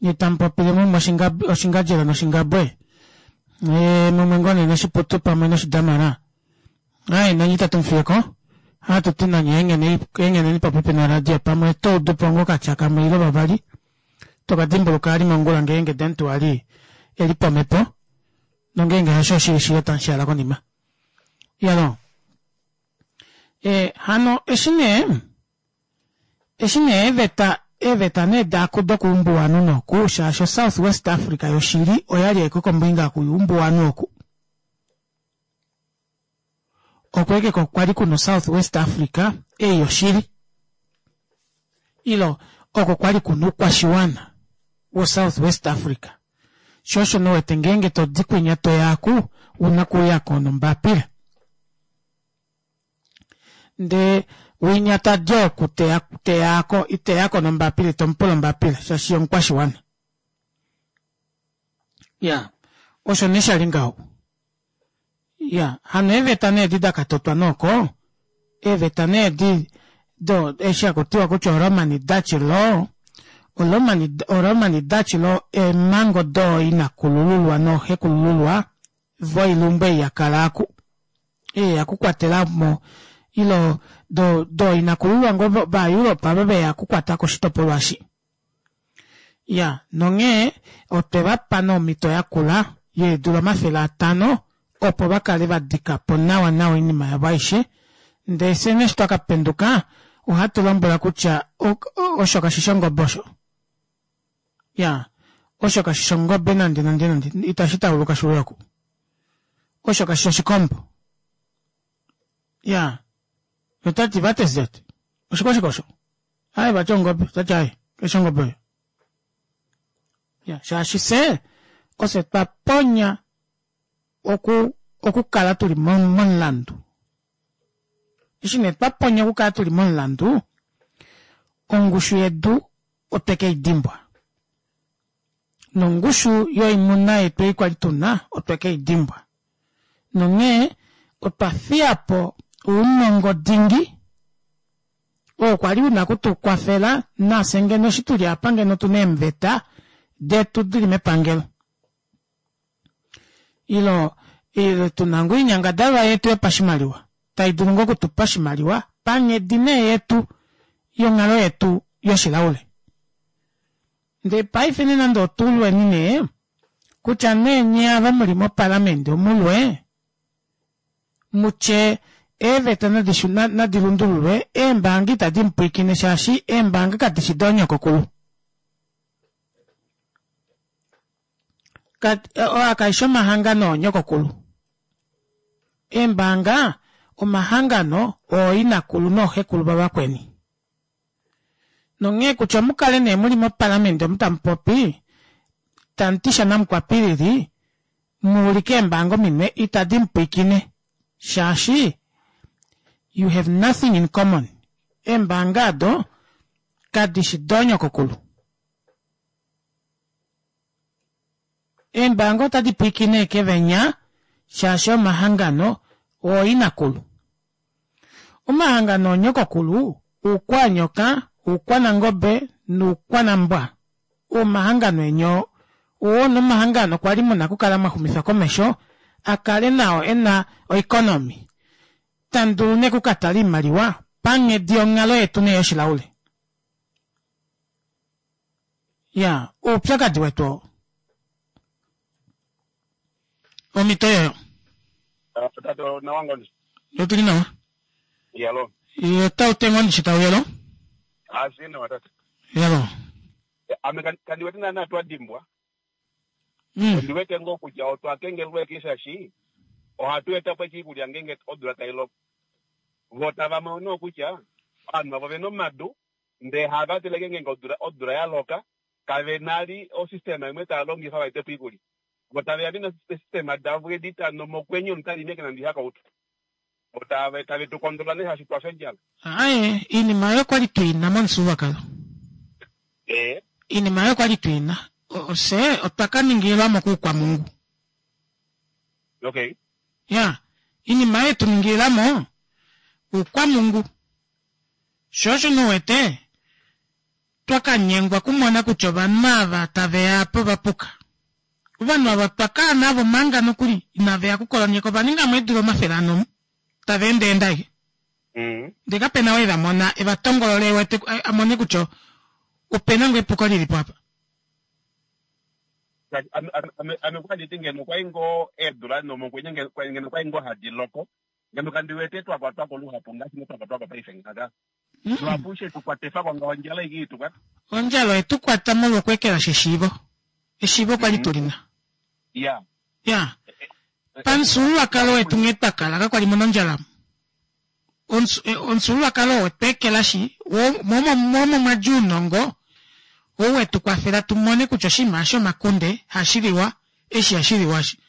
Nye tamu popile mumwe oshingadjela noshingabwe. Eh, mumwe ngoo nee noshiputu pamwe noshidamara. Aye, nanye itatu mufiyeko. Ohatu ti nanye engheneni popepi noradio pamwe toudupo ngoo okatya kamwe ile vavali toka dimbuluka ali mongula ngeenge Dentuali eli pomhepo nongeenge hasho oshili otamushaala konima. Yalo. E, hano eshi nee eshi nee eeveta eeveta nee daaku dokuumbuwanhu noku shaashi South West Africa yoshili oyali aiko kombinga kuyuumbuwanhu oku. Oko eke kwali kuna South West Africa ei yoshili ilo oko kwali kuna oukwashiwana wo South West Africa. Sho osho nowete ngeenge todi kwinya toya aku una okuyako nombapila. Ndee winya tadi oku teya teyako iteyako nombapila itomupula ombapila shaashi omukwashiwana. Iyaa osho nee shali ngaho. Iyaa hano eeveta nee edi dakatotwa nooko eeveta nee edi do eshi hakutiwa kutya o Roman Dutch law o Roman Dutch law eemango dooinakulululwa nooxekulululwa voilumbu ei yakala aaku ei okukwatelamo ilo dooinakulululwa ngoo va Europe ava veya okukwatako oshitopolwa eshi. Iyaa nonghee otwevapa nee omito yakula yeedula omafele atano opo vakale vadikapo nawa nawa oinima yavo aishe ndee fyee nee eshi twakapenduka ohatu lombwelwa kutya osho kashishi ongobe osho. Iyaa osho kashishi ongobe nande nande nande itashi tauluka shiuye oku. Osho kashishi oshikombo. Iyaa otati what is that? Oshikwashike osho? Aaye vati ongobe otati aaye kaishi ongobe oyo. Iyaa shaashi fyee ofye twaponya oku okukala tuli momulandu. Eshi nee twaponya okukala tuli momulandu ongushu yedu otwe keidimbwa. Nongushu yoimuna yetu ei kwali tuna otwe keidimbwa. Nonghee otwa fiyapo ounongo dingi oo kwali una okutukwafela nafye ngeno eshi tuli aapa ngeno otuna eemveta detu dili mepangelo. Ilo tuna ngoo oinyangadalwa yetu yopashimaliwa taidulu ngoo okutupa oshimaliwa panghedi nee yetu yonghalo yetu yoshilaule. Ndee paife nee nande otulweni nee kutya nee nyee ava muli moparlament omulwe mutye eeveta nadi lundululwe eembaanga itadi mupwiikine shaashi eembaanga kadishi doonyokokulu. Aa kaishi omahangano oonyokokulu. Eembaanga omahangano ooinakulu nooxekulu vavakweni. Nonghee kutya omukale nee muli moparlament omu tamupopi tamuti shanamukwapilili muulike eembaanga ominwe itadi mupwiikine shaashi you have nothing in common. Eembaanga aado kadishi doonyokokulu. Eembaanga otadi pwiikine ashike venya shaashi omahangano ooinakulu. Omahangano oonyokokulu oukwanyoka, oukwanangobe noukwanambwa. Omahangano eni oo oo nomahangano kwali muna okukala mwaxumifa komesho akale nao ena oeconomy. Tamudulu nee okukatala oimaliwa panghedi yonghalo yetu nee yoshilaule. Iyaa oupyakadi wetu oo. Omhito oyoyo. Tate nawa ngoo Otuli nawa. Yalo. Otau ngoo ndishi tauyelo? Asi nawa tate. Yalo. Ame kandi wete naana twa dimbwa. Mm. Ondi wete ngoo kutya otwa kengelelwa shaashi ohatu eta po iikulya ngeenge odula tai loko. Vo tava mono kutya ovanhu avo vena omadu ndee hava teleke ngeenge odula, odula ya loka kave nali osystema imwe tava longifa vaete po iikulya. Vo taveya vena esystema davo edi tano mokwenye omuntu tali meke nande ihakautu. Vo tave tave tu kondola nee shaashi twafya ondjala. Aaye iinima oyo kwali tuina momufyuululwakalo. Ee. Iinima oyo kwali tuina. Ofye otwa kaningililwamo kuukwamungu. Okay. Ya, iinima oyo yetuningililamo uukwamungu. Sho osho nuwete twakanyengwa okumona kutya ovanhu ava taveya apa ovapuka. Ovanhu ava otwa kala navo manga nokuli inaveya okukolonyeka ovaningamo eedula omafele ane omu tava endaenda ashike. Mm. Ndee kapena ou evamona evatongolole ewete amone kutya opena ngoo epuko lilipo apa. Ame ame ame kwa nditi ngeno kwai ngoo eedula nomokwenye ngeno kwai ngoo hadi loko ngeno kandi wete twakwatwako luhapu ngaashi nee twakwatwako paife ngaha. Luhapu shetukwatifa ko ngaho ondjala iki itukwata. Ondjala oyetukwata molwa okweekelashi eshiivo. Eshiivo kwali tulina. Ya. Ya. Pamufyuululwakalo wetu nghee twakala kakwali muna ondjala. Omufyuululwakalo oo wetweekelashi momo mwadja ounongo ou wetukwafela tumone kutya oshinima eshi omakunde hashiliwa eshi ihashiliwa eshi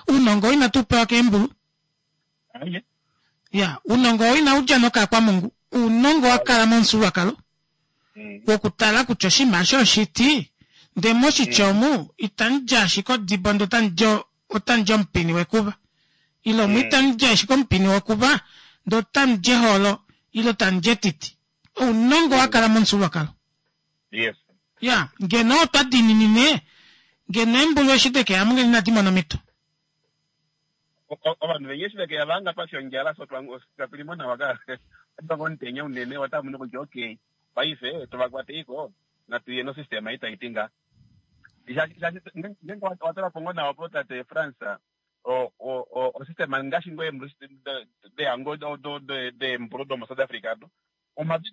ounongo oo inatu upewa keembulu iya ounongo oo inaudja nokaakwamungu ounongo wakala momufyuululwakalo wokutala kutya oshinima eshi oshiti ndee moshiti omu itamudi ashike odibo ndee otamudi omupini wekuva ile omu itamudi ashike omupini wekuva ndee otamudi eholo ile tamudi etiti ounongo wakala momufyuululwakalo iya ngeno otwa diininine ngeno eembulu eshi dekeyamo ngeno inadimona omito ovanhu venya eshi vekeya vanga twafya ondjala so twatulimo nawa ka twanga omutenya unene otamono kutya okay paife tovakwateliko natuye nosystem ei taiti nga ngeenge watalapo ngoo nawa po tate France osystem ngaashi ngoo deyango deembulu domo South Africa do omavi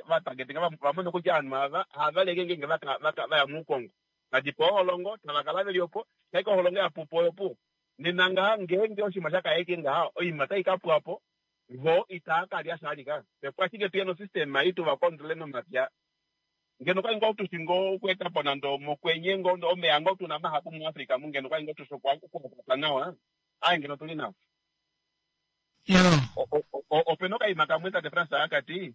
vatagetinga vamone kutya ovanhu ava havaleke ngeenge vaya muukongo vadipa oholongo tavakala veli opo shaike oholongo yapupo oyopuwo nena ngaha ngeenge oshinima shakaeke ngaha oinima otai kapwapo vo itaakalya shalika opo ashike tuye nosystem ei tuvakontrole nomapya ngeno kwali ngoo tushi ngoo okuetapo nande mokwenye ngoo omeya ngoo tuna mahapu muAfrica mu ngeno kwali ngoo tushi okuakwata nawa aye ngeno tuli nawa opena okaima kamwe tate France akati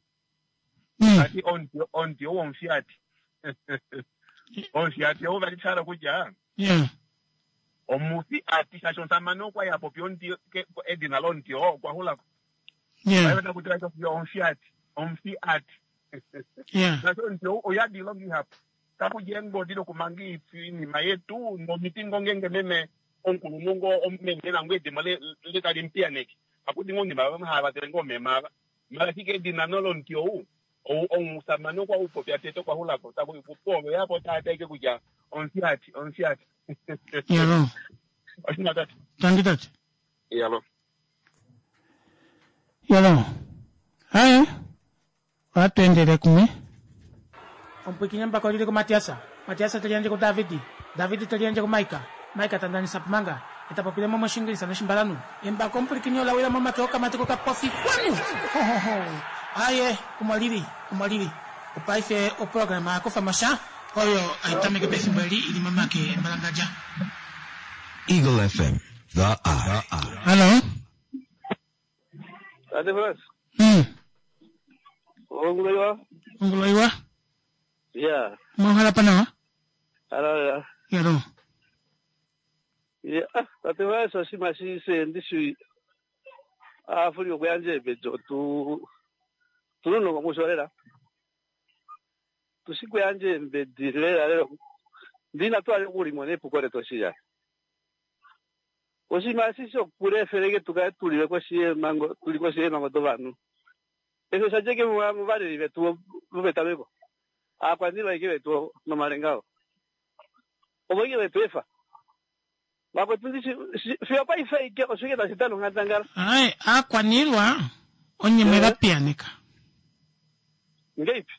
ati omuti ou omufyati omufyati ou vali shahala kutya omufi ati shaashi omusamane okwali apopi omuti edina lomuti oo okwa xulako takuti omufyati omufi ati shaashi omuti ou oyadi oilonga ihapu takudja eengodi dokumanga oinima yetu nomiti ngoo ngeenge meme omukulunhu ngoo meme nango edimo tali mupiyaneke akudi ngoo oinima vamwe hava vatele ngoo omema ava mala ashike edina nolomuti ou omusamane okwa upopya tete okwa xulako oveyapo taataike kutya omufyati omufyati yalo oshina tate tangi tate yalo yalo haye ohatu endele kumwe omupwikinye mbako lili kumatiasa Matiasa teliandje ku Davidi Davidi teliandje ku Maika Maika tandanisa pumanga etapopile mo moshingilisa noshimbalanu embako omupwikinye olawila momake okamati kokapofi kwanu hohoho aye omo lili omo lili opaife oprograma yakufa mosha oyo aitameke pefimbo eli ili momake embalangadja Eagle F M, The Eye. Hello. Tate Frans. Mm. Onguloiwa. Onguloiwa. Yeah. Mwahala panawa? Ala. Yalo. Yeah, tate Frans osima shise ndishi afuri okuyanje bejo tu tuno ngomusholela. Tusikuyanje mbedilela lelo. Ndina twali kulimo nepuko letoshiya. Osima sisi okureferege tukale tulile koshiyemango tuli koshiyemango dovanhu. Esho shajeke muvaleli vetu vopetameko. Aakwaniilwa ike vetu nomalenga ovo ike vetu efa. Vakwetu ndishi fiyo paife ike oshike tashi dana onghandangala. Aye, aakwaniilwa onye mwe va piyaneka. Ngeipi?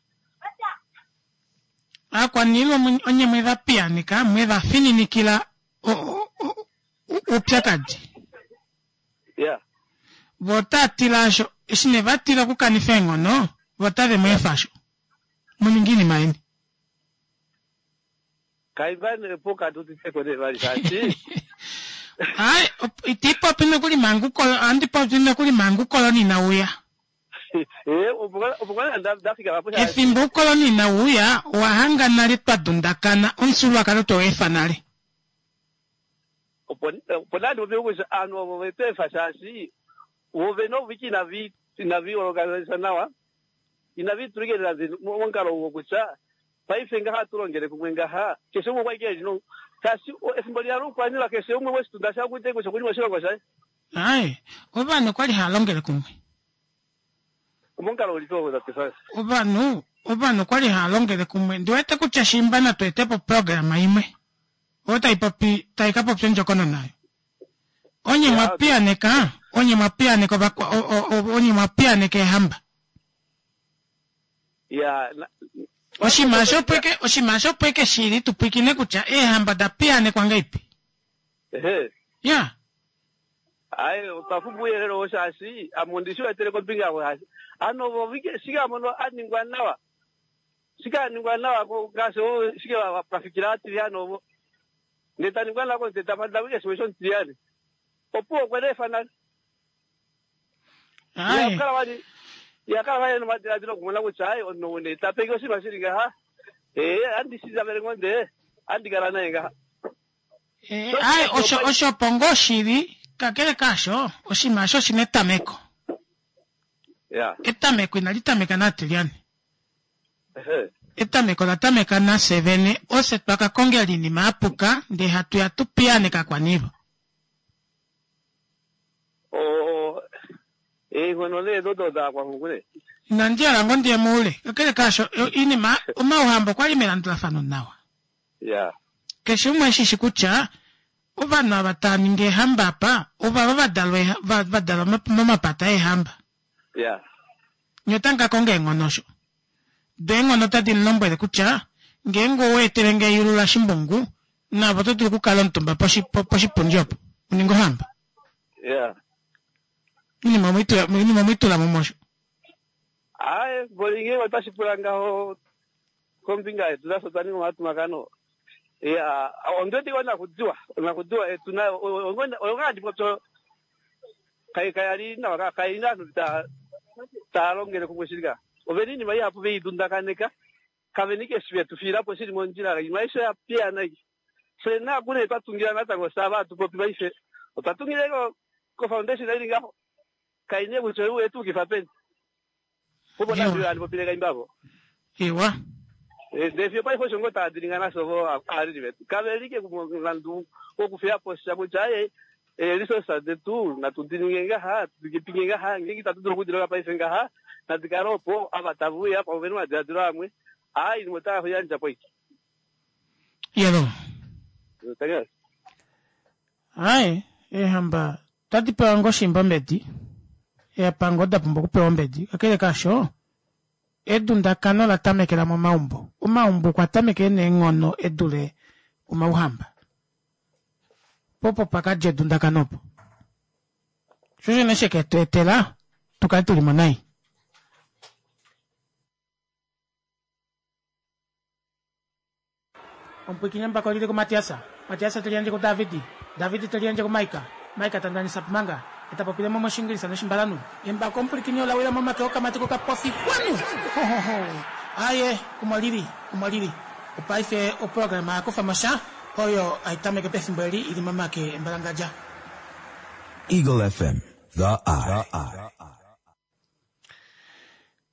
Aakwaniilwa onye mwe va piyaneka, mwe va fininikila oupyakadi. Yeah. Vo otaa asho, eshi ne va tila okukanifa eenghono, vo otave mu efa asho. Muninge iinima yeni. Kaivane pokati utiteko nevali shaashi. Ai, iti popi nokuli manga ukoloni, ohandi popi nokuli manga ukoloni inauya. Eh, opo kwali ndafika vapo shaashi. Efimbo ukoloni inauya, owa hanga nale twa dundakana, omufyuululwakalo twewu efa nale. Opo nandi popi kutya aanhu ovo vetu efa shaashi vove noviki inavi inavi organisa nawa inavi tulikelela momukalo wokutya paife ngaha tulongele kumwe ngaha keshe umwe okwa ike lino shaashi efimbo liya loukwaniilwa keshe umwe weshitunda shaye kutya okuli moshilongo shaye. Aye, ovanhu okwali hava longele kumwe. Omomukalo ulipi oo tate Frans? Ovanhu ovanhu okwali hava longele kumwe. Ndiwete kutya shimba natu etepo programa imwe oyo tai popi tai ka popya ondjokonona oyo. Onye mwa piyaneka, onye mwa piyaneka ovakwa, onye mwa piyaneka eehamba. Ya, oshinima osho opo eke oshinima osho opo eke shili tupwikine kutya eehamba da piyanekwa ngaipi. Ehe. Ya. Aye otwa pumbwa uuyelele oo shaashi ame ondi shi wetele kombinga yavo shaashi ano vo shike amono a ningwa nawa shike a ningwa nawa ngaashi oo shike pafikila atiliyane ovo ndee ta ningwa nawa ndee tapanda wike shimwe shomutiliyane opuwo okwe leefa nale yakala vali yakala vali nomadiladilo okumona kutya aye omunhu ou nee tapenge oshinima shili ngaha ee andi shitavele ngoo ndee andi kala naye ngaha. Aye osho osho opo ngoo shili kakele kaasho oshinima osho oshina etameko. Ya. Etameko inali tameka naAtilyane. Etameko ola tameka nafye vene ofye twa ka kongela oinima ya puka ndee hatu ya tu piyaaneke akwaniilwa. Oo eenghono nee odo daakwanghungu nee. Inandi hala ngoo ndiye moule kakele kaasho oinima omauhamba okwali melandulafano nawa. Ya. Keshe umwe eshi shi kutya ovanhu ava tava ningi eehamba apa ovava va dalwa va dalwa momapata eehamba. Ya. Nye otamu ka konga eenghono osho. Do eenghono otadi mu lombwele kutya ngeenge owa etele nge eyulu lashimbungu naave oto dulu okukala omutumba poshipundi opo u ninge ohamba. Ya. Oinima omwe i tula mumwe osho. Aaye, mboli ngeenge otashi pula ngaho kombinga yetu nafye otwa ninga omatumakano. Ya, ondi wete onakudiwa, onakudiwa yetu nayo oyo ngaa handi popi kai kaya li nawa, kai na ovanhu ta tava longele kumwe shili ka. Ovena oinima ihapu ve i dundakaneka, kave na ike eshi ve tu fiila po shili mondjila, oinima aishe oya piyaana aike. Fye naku nee twa tungila natango fye ava hatu popi paife, otwa tungila ko ko-foundation ili ngaho, kai nee kutya oye tu yukifa peni. Opo nande handi popile kaimba avo. Ewa. Ndee fiyo paife osho ngoo tava dilinga nasho vo aaleli vetu. Kave li ke momulandu wokufiya po sha kutya aaye ee-resources detu natu di ninge ngaha, tu di pinge ngaha, ngeenge itatu dulu okudi longa paife ngaha, nadi kale opo, ava tave uya pamwe ovena omadiladilo amwe, aa oinima otava yandja po aike. Yelo. Aaye, eehamba otadi pewa ngoo shimba ombedi, eepango oda pumbwa okupewa ombedi, kakele kaasho, edundakano ola tamekela momaumbo. Omaumbo okwa tameka e na eenghono e dule omauhamba. Po opo pa ka dja edundakano opo. Sho osho nee she ke tu etela tu kale tu li mo nai. Omupwiikini embako oli li kuMatias, Matias te liyandje kuDavid, David te liyandje kuMaika, Maika ta ndanisa Pumanga, e ta popile mo mOshiingilisa nOshimbalanhu. Embako omupwilikini ola wila momake okamati kokapofi kwanu! Ho, ho, ho! Aaye, omo li li, omo li li. Opaife oprograma ya kufa mo sha, oyo hai tameke pefimbo eli i li momake embalangadja. Eagle F M, The Eye.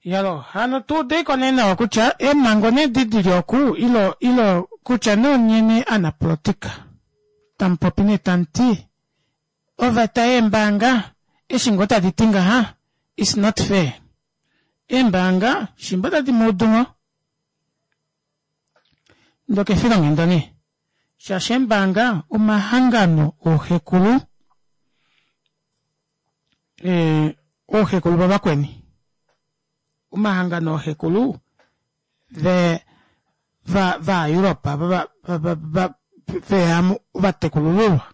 Yalo, hano tu udeiko nee nawa kutya eemhango nee di dili oku ilo ilo kutya nee onyene anapolotika tamupopi nee tamuti oveta yeembaanga eshi ngoo tadi ti ngaha is not fair. Eembaanga shimba otadi muudu ngoo ndoka efilonghenda nee shaashi eembaanga omahangano ooxekulu eh, ooxekulu vavakweni omahangano ooxekulu ve va vaEuropa va va va veya ovatekulululwa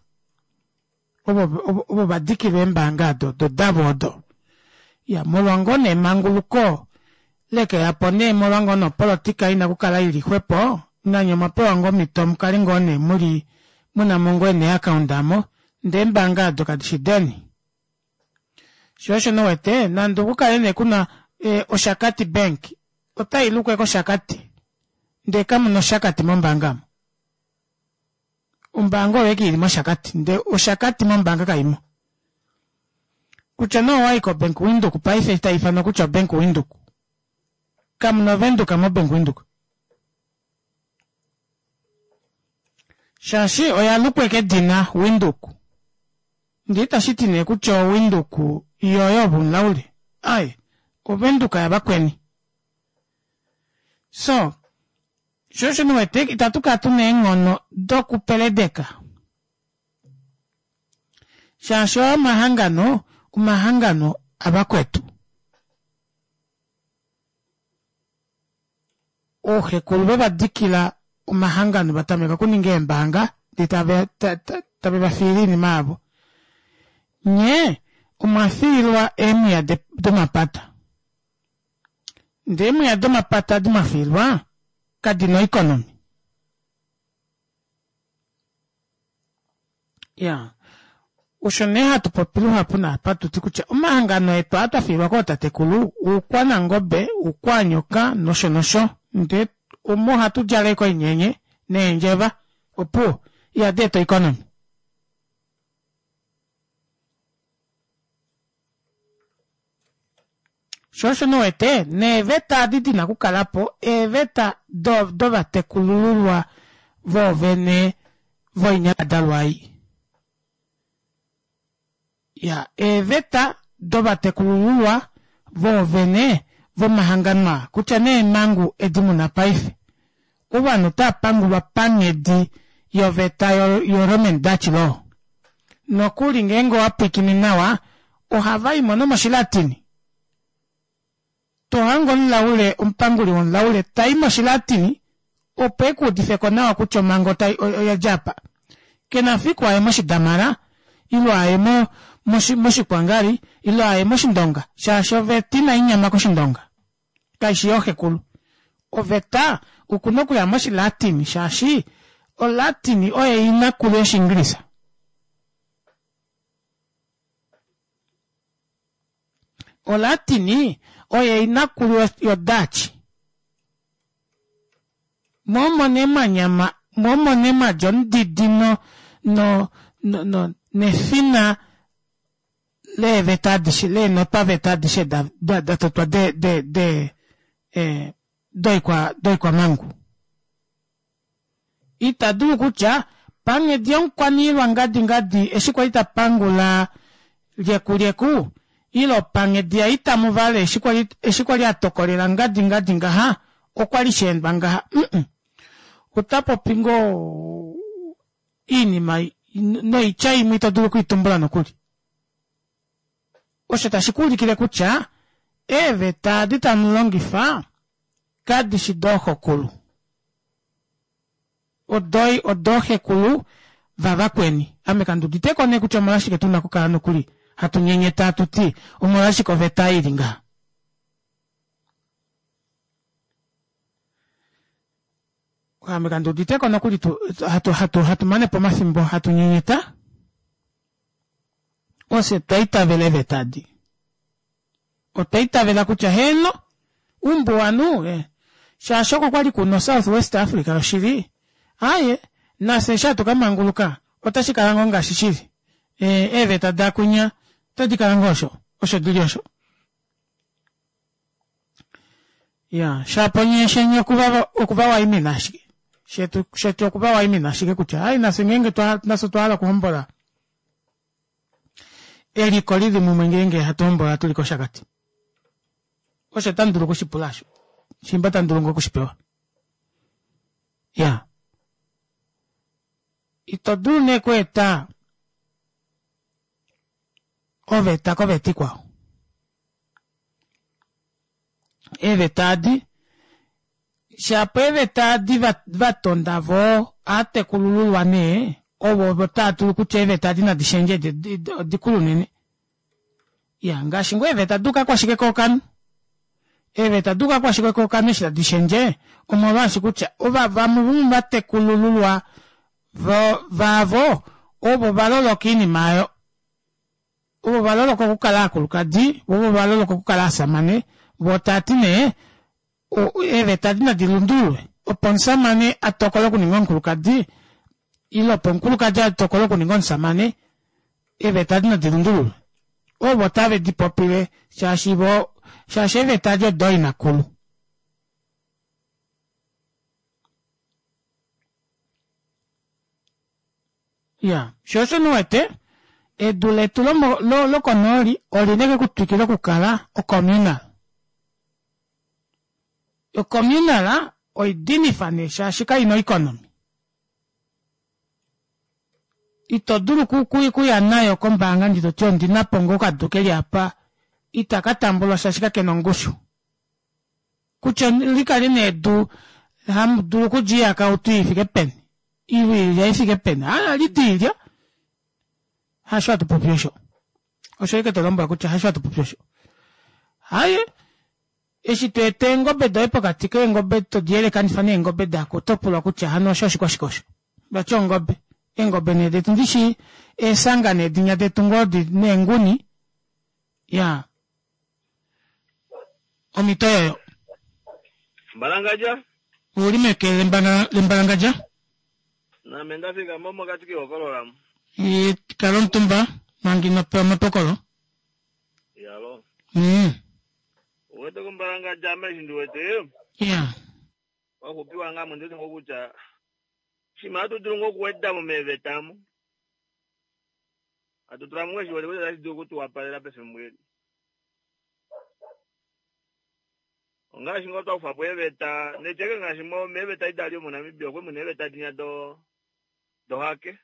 ovo ovo va dikilwa eembaanga odo do davo odo ya molwa ngoo nee emanguluko leke yapo nee molwa ngoo nee opolitika ina kukala ili xwepo nanye omwa pewa ngoo omhito mukale ngoo nee muli muna mo ngoo nee account amo ndee eembaanga odo kadishi deni. Sho osho nee uwete nande okukale nee kuna e, Oshakati Bank otai lukwa kOshakati ndee kamuna Oshakati mombaanga omo. Ombaanga oyo eke ili mOshakati ndee Oshakati mombaanga kaimo. Kutya nee owayi koBank Windhoek paife tai ifanwa kutya oBank Windhoek kamuna Ovenduka moBank Windhoek. Shaashi oya lukwa kedina Windhoek. Ndee itashi ti nee kutya oWindhoek yoye ove umulaule. Aaye, Ovenduka yavakweni. So, sho osho ndi wete itatu kala tu na eenghono dokupeledeka. Shaashi oo omahangano, omahangano avakwetu. Ooxekulu veva dikila omahangano va tameka okuninga eembaanga ndee tave tave va fiile oinima yavo. Nye omwa fiilwa eemwiya domapata. Ndee eemwiya domapata adi mwa fiilwa kadina oikonomi. Iyaa osho nee hatu popi luhapu naapa hatuti kutya omahangano etu aa twafiilwa kootatekulu oukwanangobe, oukwanyoka nosho nosho ndee omo ohatu djala ashike oinyenye neendjeva opuwo ihadeeta oikonomy. Shoo osho nee uwete neeveta edi dina okukalapo eeveta dovatekulululwa voovene voinyangadalwa ei. Iyaa eeveta dovatekulululwa voovene vomahangano aa kutya nee eemangu edi muna paife ovanhu otaapangulwa panghedi yoveta yo roman dutch law nokuli ngeenge owapwiikine nawa ohavaimo nomoshilatini tohange omulaule omupanguli womulaule tai moshilatini opo ekuudifeko nawa kutya omhango oyadja aapa kena fiku aye moshidamara ile aye moshikwangari ile aye moshindonga shaashi oveta inainyama koshindonga kaishi yooxekulu oveta okuna okuya moshilatin shaashi o latin oyo inakulu yoshiingilisa. O latin oyo inakulu yo dutch. Moo omo nee mwanyama moo omo nee mwadja omudidi no no no nefina leeveta adishe leenotwaveta adishe datotwa de de de doikwamangu. Itadulu kutya panghedi yomukwaniilwa ngadi ngadi eshi kwali tapangula lyekulyeku ile panghedi ya itamuvale eshi kwali atokolela ngadi ngadi ngaha okwali shaendwa ngaha mm otapopi ngoo oinima noitya imwe itodulu okwiitumbula nokuli. Osho tashikuulikile kutya eeveta edi tamulongifa kadishi dooxokulu odooxekulu vavakweni. Ame kanduuditeko nee kutya omolwashike tuna okukala nokuli hatu nyenyeta hatuti omolwashike oveta ili ngaha. Ame kanduuditeko nokuli hatu hatu hatu manepo omafimbo hatu nyenyeta ofye twaitavela eeveta edi. Otwa itavela kutya heeno umbuwanhu shaashi oko kwali kuna o south west africa yoshili aaye nafye eshi hatu kamanguluka otashikala ngoo ngaashi shili eeveta daakwinya otadikala ngoo osho osho dili osho. Iyaa shapo nyee sheni okuvawaimina ashike shetu shetu okuvawaimina ashike kutya aaye nafye ngeenge nafye otwa hala okuhombola eliko lili mumwe ngeenge hatu hombola tuli koshakati. Osho otamudulu okushipula osho shimba tamudulu ngoo okushipewa. Iyaa ito dulu nee okweeta oveta koveta ikwao. Eeveta adi shapo eeveta adi vatonda voo aatekulululwa nee ovo taadulu kutya eeveta edi nadi shendje odikulu unene. Iyaa ngaashi ngoo eeveta doukakwashike kookanhu eeveta doukakwashike kookanhu eshi tadi shendje omolwaashi kutya ova vamwe vomovatekulululwa vavo ovo valoloka oinima aayo ovo valoloka okukala aakulukadi voo ovo valoloka okukala ovashamane voo taati nee eeveta edi nadi lundululwe opo omushamane atokole okuninga omukulukadi ile opo omukulukadi atokole okuninga omushamane eeveta edi nadi lundululwe. Ovo tave dipopile shaashi voo shaashi eeveta edi odooinakulu. Iyaa shoo osho nee uwete edu letu lokonooli olina ashike okutwikila okukala ocommunal. Ocommunal oidinifa nee shaashi kaina oikonomy. Ito dulu okuya nayo kombaanga ndee toti ondinapo ngoo okadu keli aapa ita katambulwa shaashi kakena ongushu. Kutya likale nee edu hamudulu okulya oihakautu ifike peni ile oilya ifike peni aaye ohalidi oilya hasho hatu popi osho. Osho ike to lombwela kutya hasho hatu popi osho. Haye, eshi to eta eengobe doye pokati keengobe todi yelekanifa neengobe dako oto pulwa kutya hano osho oshikwashike osho. Vati ongobe. Eengobe nee detu ndishi eesanga needinya detu ngoo neenguni. Ya. Omhito yoyo. Mbalangadja? Uli meke lembalangadja? Name ndafika mo mokati kehokololamo. Kala omutumba manga ino pewa omapokolo. Yalo. Mm. Uwete kumbalangadja ame eshi ndiwete. Ya. Wakupiwa ngamo nditi ngokutya shima hatu dulu ngoo okuweda mo meeveta mo. Hatu tula mo eshi wete kutya otashi dulu okutuwapalela pefimbo eli. Ongaashi ngoo twakufa po eeveta netyeke ngaashi mo meeveta idali omoNamibia okwe muna eeveta dinya do dohake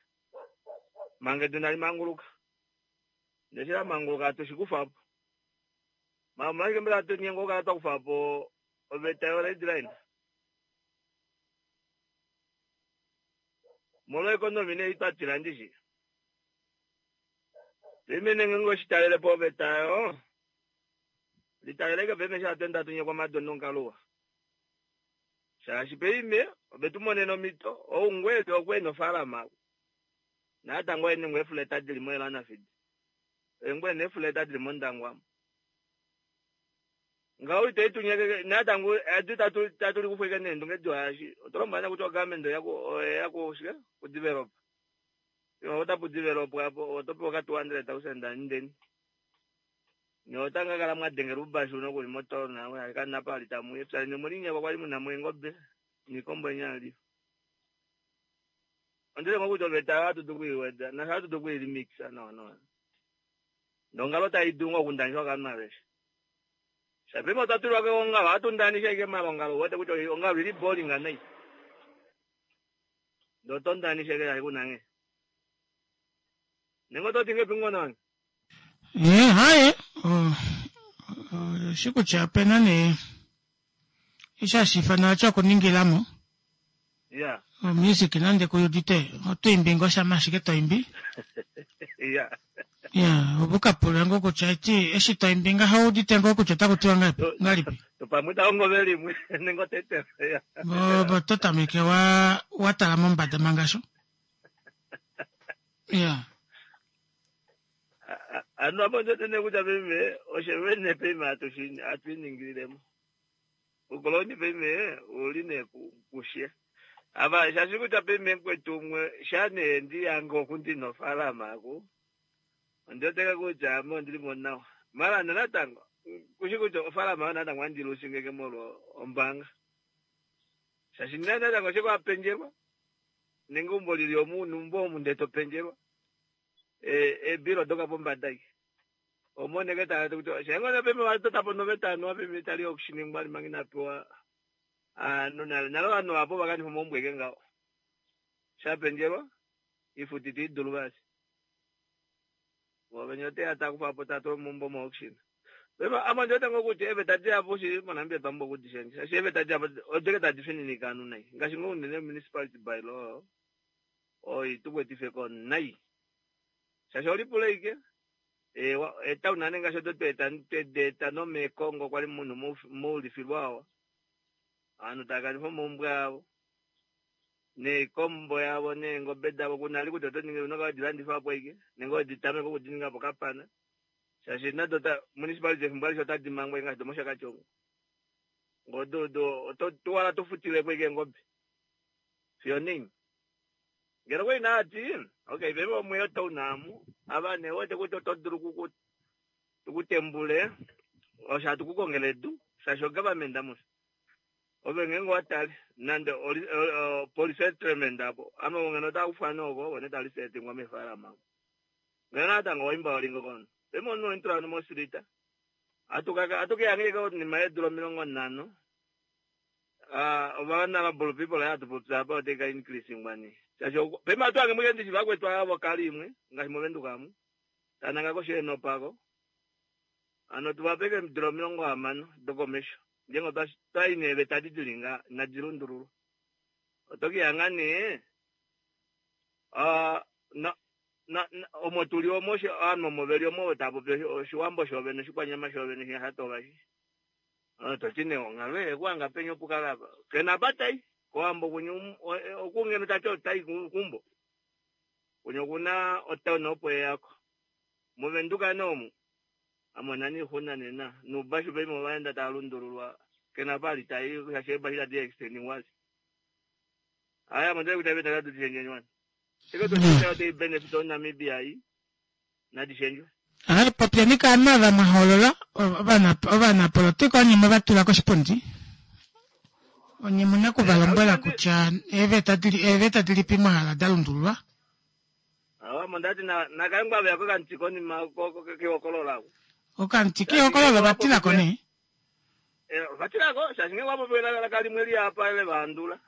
manga edu inali manguluka. Ndele eshi lamanguluka hatu shikufa po. Omolwashike mbela hatu nyengwa okukala twakufa po oveta yo red line? Molwa economy nee twatila ndishi. Pemene ngenge oshitalele po oveta yo litaleleke peme eshi hatu ende hatu nyekwa omadono onkaluwa. Shaashi peime ove tumonene omhito oungweli okwe nofaalama natango ene ngoo eefuleta dili moElanafidi. Engwe neefuleta dili mOndangwa. Ngaho ite tunyeke natango edu tatu tatu likufweke neendunge diwa oto lombwela kutya ogovernment oya ku shike ku develop. Yo otapu develop apo oto pewa ka two hundred thousand ndeni. Ne otanga kala mwadengela ubashu nokuli moto nawe kana pali tamu epya ne mulinyekwa kwali muna mweengobe niikombo enyali. Ondile ngokuti oveta hatu tukuiweda na hatu tukuilimixa no no. Ndongalo taidunga okundanishwa kovanhu aveshe. Shapema otwatulwa keongalo hatu ndanisha ike malongalo uwete kutya ongalo ili boring nai. Ndo tondanisha ike yali kunange. Nengo toti ngepi ngona wange? Eh, haye. Shi kutya opena nee eshi hashi ifanwa vati okuningilamo. Yeah. Omusic nande kuyudite oto imbi ngoo shama ashike to imbi. Yeah. Ya, opo kapula ngoo kutya eti eshi to imbi ngaho udite ngoo kutya otaku tiwa ngapi ngalipi. Pamwe taongo velimwe nengo tete. Yeah. Bo to tameke wa wa tala mombada mangasho. Ya. Ano apo ndotene kutya peme oshevene peme atuiningililemo. Ukoloni peme uli ne kushe. Ava shashi kutya peme kwetu umwe shane ndi yange okundi nofaalama aku. Ondoteka kutya ame ondilimo nawa. Mara natango kushi kutya ofaalama yo natango andilusingeke molwa ombaanga. Shashi natango shiko apenjelwa. Nenge umbo lili omunhu umbo omu ndee topenjelwa. Ebilo doka pombada iki. Omoneke tala kutya shengona peme watota po noveta anu peme tali okushiningwa manga inapewa anu nale nale ovanhu vapo vakanifa omaumbo eke ngaho. Shapenjelwa ifuti tiidulu vasi. Vovenye oteya takufa po tatula omaumbo mo auction. Pema ame ndiwete ngoo kutya eeveta dihapu shili moNamibia twambo okudishendja. Shaashi eeveta dihapu odike tadi fininika ovanhu nai. Ngaashi ngoo unene municipality bylaw oi tukwetife nai. Shaashi olipula ike etown ane ngaashi odo twedeeta nomeekongo kwali munhu moulifilwa awa. Ovanhu tava kanifa omaumbo avo neikombo yavo neengobe davo kunali kutya oto ningi unokala wedilandifa po ike nenge weditameka okudininga po kapana. Shaashi nado municipality efimbo alishe otadi mangwa ngaashi domoshakati omo. Ngoo oto tuwala tofutilepo ike eengobe. Fiyo nini. Ngeno kwali naati okay peme omweyo town amu ava nee wete kutya oto dulu tukutembule osho hatu kukongela edu shaashi ogovernment amushe. Ove ngenge watale nande police settlement apo ame ngeno otakufwa noko one tali setingwa meefaalama. Ngeno natango waimba walingo kono. Peme omunhu ointula mosirita. Atukeyange konima yeedula omilongo nhano. Ovana people hatu popya apa otaika increasingwa nee. Shaashi pema atu ange ndishi vakwetu avo kali imwe ngaashi movenduka amu. Tananga kosheeno pako. Ano tuvapeke eedula omilongo hamano dokomesho. Ngenge twai neeveta dili nga inadi lundululwa. Oto kihanga nee na- na- omo tuli omo shi- ovanhu omo veli omo tava popi oshi- oshiwambo shoovene oshikwanyama shoovene shinyasha shi toti nee onghalo ekuhanga peni okukala apa kena apa tai kowambo kunye um- o- e- okungeno tati otai ku- kumbo kunye okuna otown opo eyako movenduka nee omu amona niixuna nena nuubashu paife ovaenda tava lundululwa kena apa ali tai shaashi eebashu tadi extendingwa aya mondele kutya veta katu tishendjenywana teke totiita otei benefit oNamibia i nadishendjwe Hai, popyeni kaanhu ava mwa hoolola ovana- ovanapolotika onye mwe va tula koshipundi onye muna okuvalombwela kutya eeveta dili eeveta dilipi mwa hala da lundululwa awa mondati nakangwa veyako kanti konima kehokolola okamuti kehokololo vatilako nee vatilako shaashi ngenge wapopiwe elaka limwe liapa le vahandula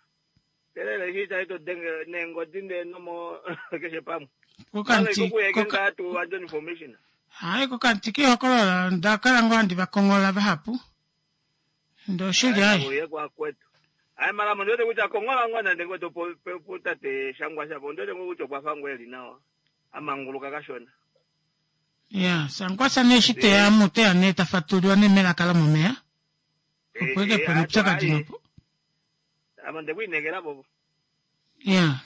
telele shi tai todenge neengodi ndee nomo keshe pamwe kokamuti kuyeke koka- ngaa tu wandje information hai kokamuti kehokololo ndakala ngoo handi vakonghola vahapu ndee oshili hai uye kwakwetu hayi mara mondote kutya kongola ngoo nande kwetu putate shangwa shapo ondote ngoo kutya okwafa ngoo eli nawa amanguluka kashona ya sankwasa nee eshi teya mu teya nee tafatululwa nee melaka lomomeya opo eke pena oupyakadi nopo amo ndekwiinekela popo ya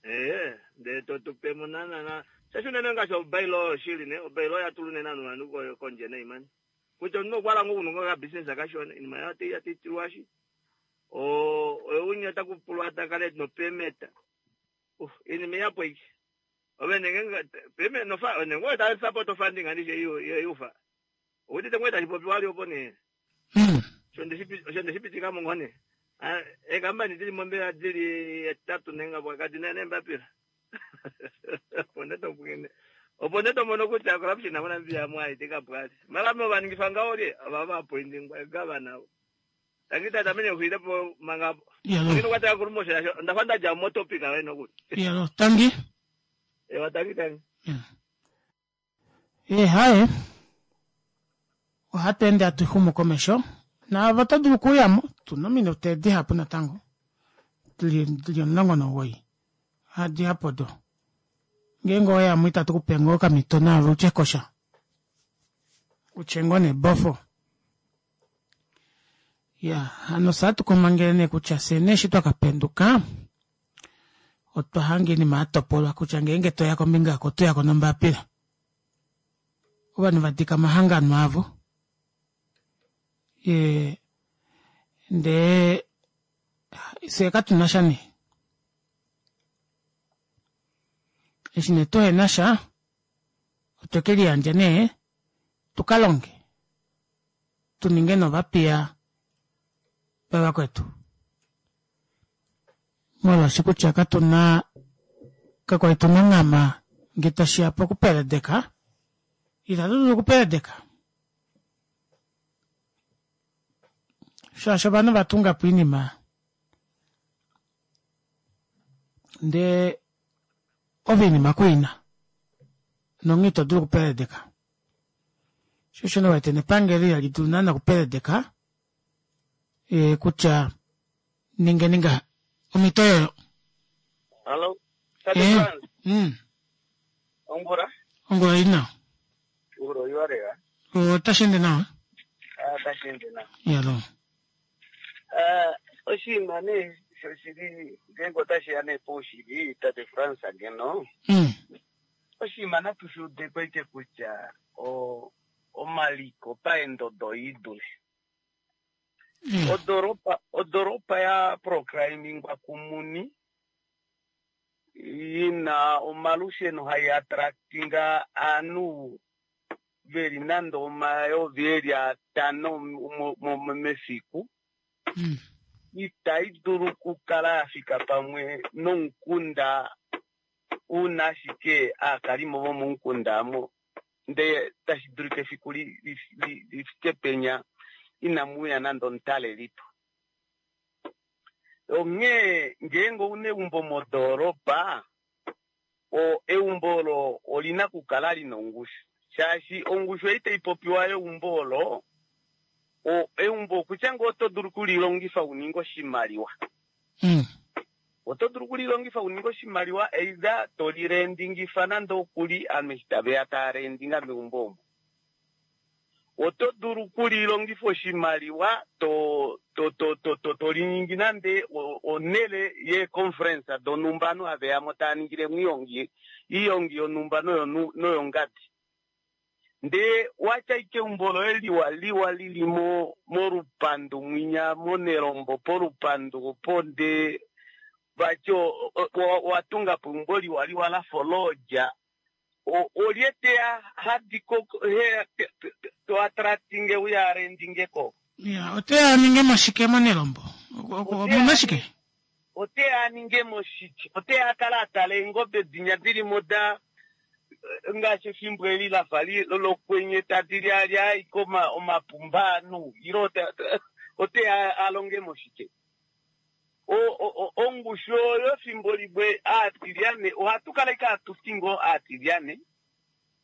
ee ndee totupemo nanana shashi unene ngaashi obailo oshili ne obailo yatulu nene anhu vanhu ko- kondje neimani kutya omunhu okwala ngoo kununga kabusiness kashona inima yati yatitilwashi oyo takupulwa takale nopemeta inima iyapo iki ove nenge peme nofa nenge ta support funding andishe yufa ukuthi ngwe tachipopiwa ali opo ne Mm. osho ndeshipitika mongone ekambani dili mombela dili etatu nenga bwakati nembapila opo ndetopukene opo ndetomono kutya corruption amonambiya mwaitika bwati mara vaningisa ngaolye ava vapointingwa gavana tangita tamene huilepo manga Yalo. ngino kwataka kurumosha yasho ndafa ndaja motopic awe nokuti Yalo, tangi. ewa tangi tangi E haye. Ohatu ende hatu xumu komesho. Naavo oto dulu okuyamo. Tuna ominute dihapu natango. Dili dili omulongo nomugoyi. Hadihapu odo. Ngeenge oweyamo itatu kupe ngoo okamhito naave utye kosha. Utye ngoo nebofo. Ya, hano satukomangele nee kutya fye nee eshi twakapenduka otwa hanga oinima yatopolwa kutya ngeenge toya kombinga yako otoyako nombapila. Ovanhu vadika omahangano avo ye ndee fye katuna sha nee eshi nee tuhena sha otwe keliyandja nee tukalonge tuninge novapiya vavakwetu molwaashi kutya katuna kakwali tuna onghama ngee tashiya pokupeledeka itatu dulu okupeledeka shaashi ovanhu vatungapo oinima ndee ove oinima kuina nonghee ito dulu okupeledeka sho osho nee uwete nepangelo ihali dulu naana okupeledeka ee kutya ningeni ngaha omhito oyoyo Hallo, Tate Eh, Frans, mm, ongula? ongula oili nawa Ongula oiwa lela. otashi ende nawa Ah, tashi ende nawa. yalo Ah, oshinima nee shoshili ngeenge otashi ya nee poushili Tate Frans ngeno mm, oshinima natu shi udeko ike kutya o omaliko paendodo idule yeah. odoropa odoropa ya proclaimingwa kumuni yina omalusheno hai attractinga aanhu veli nande omayovi eli atano mo- mo- mefiku mm, itayi dulu okukala ya fika pamwe nomukunda una ashike aakalimo vomomukunda amo ndee tashi dulika efiku li- li- li- lifike penya inamuya nande omutalelipo onghee ngeenge ouna eumbo modoolopa o eumbo olo olina okukala lina ongushu shaashi ongushu ei taipopiwa yeumbo olo o eumbo okutya ngoo oto dulu okulilongifa uninge oshimaliwa mm, Oto dulu okulilongifa uninge oshimaliwa either to lirendingifa nande okuli ovanhu eshi taveya tava rendinga meumbo omo. Oto dulu okulilongifa oshimaliwa to to to to to to liningi nande onhele yeeconference donhumba ovanhu haveyamo tava ningilemo oihongi oihongi yonhumba noyongadi. Ndee watya ashike eumbo loye liwa liwa lili mo molupandu mwinya monelombo polupandu opo ndee vati owatungapo eumbo liwa liwa lafa olodja olye teya hadiko to attractinge uye arendingeko. Ya, oteya aningemo shike monelombo? Omuna shike? Oteya aningemo shike? Oteya akale atala eengobe dinya dilimo da ngaashi efimbo eli lafa lokwenye tadi lyaalya ashike omapumba ovanhu ile oteya alongemo shike? Ongushu oyo efimbo limwe aatilyane ohatu kala ashike hatu ti ngoo aatilyane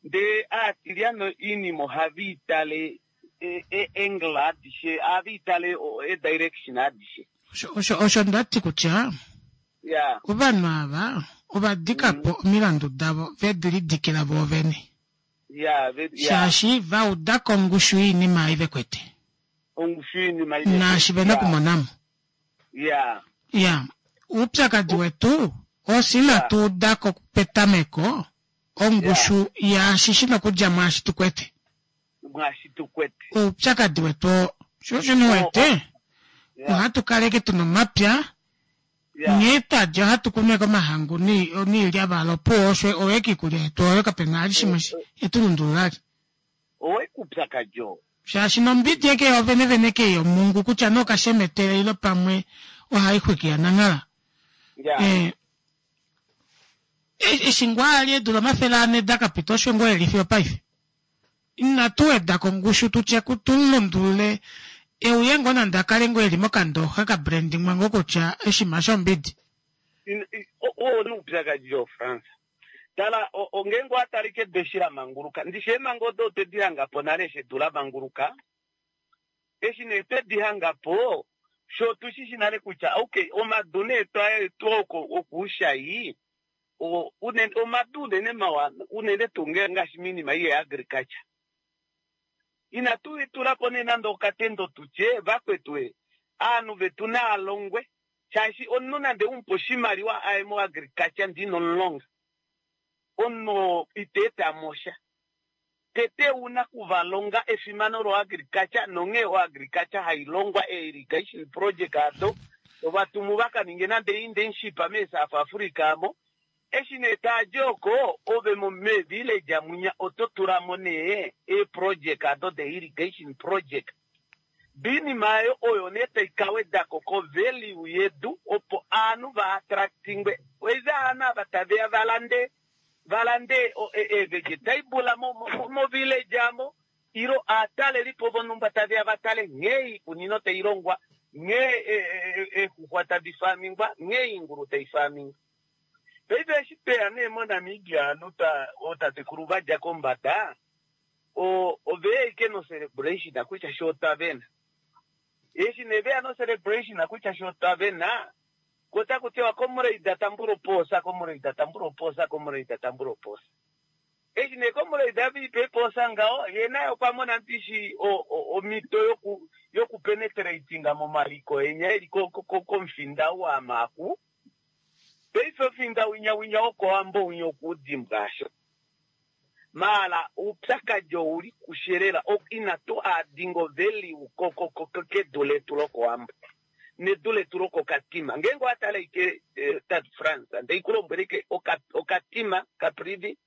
ndee aatilyane oinima ohava itale eangle adishe ohava itale edirection adishe. Osho osho ndati kutya ya ovanhu ava ova dika po omilandu davo vedi lidikila voovene. Ya, ve, ya. Shaashi va uda ko ongushu yoinima ei vekwete. Ongushu yoinima ei vekwete. Naashi vena okumonamo. Ya. Ya, oupyakadi wetu osi inatu uda ko petameko ongushu yaashi shi na okudja mwaashi tu kwete. Mwaashi tu kwete. Oupyakadi wetu oo. Sho osho nee wete, ohatu kaleke tuna omapya, nghee twadja ohatu kunu ashike omahangu niilyavala opuwo osho oyo ashike iikulya yetu oyo kapena vali shimwe yetu lundulula vali. Owo ashike oupyakadi oo. Shaashi nombidi ashike yoovene vene kei yomungu kutya nee okashemetele ile pamwe ohai xwiki yananghala. Ya. Eshi ngoo ali eedula omafele ane da kapita osho ngoo eli fiyo opaife. Inatu weda ko ongushu tutye tu mu lundulule euye ngoo nande akale ngoo eli mokandooxa ka brandingwa ngoo kutya oshinima shombidi. Oo nee oupyakadi oo Frans. Tala, ngeenge owa tala ashike edu eshi la manguluka, ndishi eemhango odo otwe di hanga po nale eshi edu la manguluka, eshi nee twe di hanga po, fye otu shi shi nale kutya okay, omadu nee twa etwa okuushai, unene omadu unene mawa unene tuu ngaashi moinima ei yeagriculture. Inatu tula po nee nande okatendo tu tye vakwetu e, ovanhu vetu nava longwe, shaashi omunhu nande u mu pe oshimaliwa aye moagriculture ndee ino mu longa, omunhu oo ita eta mo sha. Tete ou na okuvalonga efimano loagriculture nonghee oagriculture hai longwa, ee-irrigation project ado, ovatumu va ka ninge nande internship meeSouth Africa amo. Eshi nee taa di oko, ove meevillage mwinya oto tula mo nee eeproject ado de irrigation project. Oinima aayo oyo nee tai ka weda ko ko-value yedu opo ovanhu va attractingwe. Either ovanhu ava tave ya va lande va lande eevegetable movillage amo ile ovatalelipo vonhumba tave ya va tale nghee oikunino tai longwa, nghee eexuxwa tadi faamingwa, nghee oingulu tai faamingwa. Paife eshi tweya nee moNamibia ovanhu ootatekulu va dja kombada oveya ashike nocelebration kutya shoo otwa vena. Eshi nee veya nocelebration kutya shoo otwa vena, ko otaku tiwa comrade tambula opoosa, comrade tambula opoosa, comrade tambula opoosa. Eshi nee comrade ave ipa eepoosa ngaho, ye naye okwa mona ndishi omhito yoku yokupenetratinga momaliko enya eli komufinda ou waamaaku. Paife omufinda winya winya wokowambo winya okuudimbwa asho. Maala oupyakadi ouli kushe lela, inatu addinga ovalue kedu letu lokowambo nedu letu lokokatima. Ngeenge owa tala ashike tate Frans, ndei ku lombwele ashike okatima Caprivi,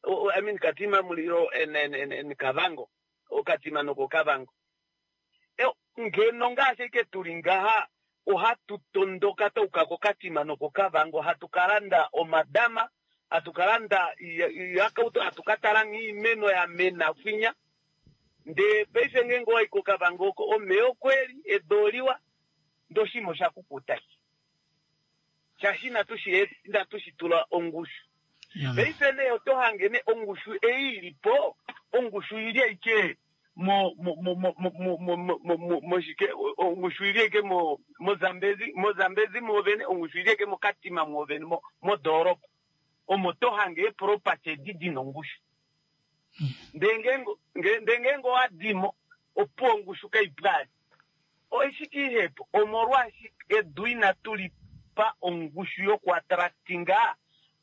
I mean Katima Mulilo and Kavango, okatima nokokavango. Ngeno ngaashi ashike tuli ngaha ohatu tondoka twayuka kokatima nokokavango hatu ka landa omadama, hatu ka landa iihakautu, hatu ka tala nghee oimeno ya mena kwinya. Ndee paife ngeenge owayi kokavango oko omeya okweli, edu oliwa, ndee oshinima osha kukuta shaashi inatu shi tula ongushu. Paife nee oto hange nee ongushu ei ilipo, ongushu ili ashike mo mo mo mo mo mo mo mo mo moshike ongushu ili eke mo moZambezi moZambezi mwoovene ongushu ili eke moKatima mwoovene mo modooropa omo to hange eeproperty edi dina ongushu ndee ngeenge ndee ngeenge owadimo opo ongushu kaipwali oishike ihepo omolwaashi edu inatu lipa ongushu yoku attractinga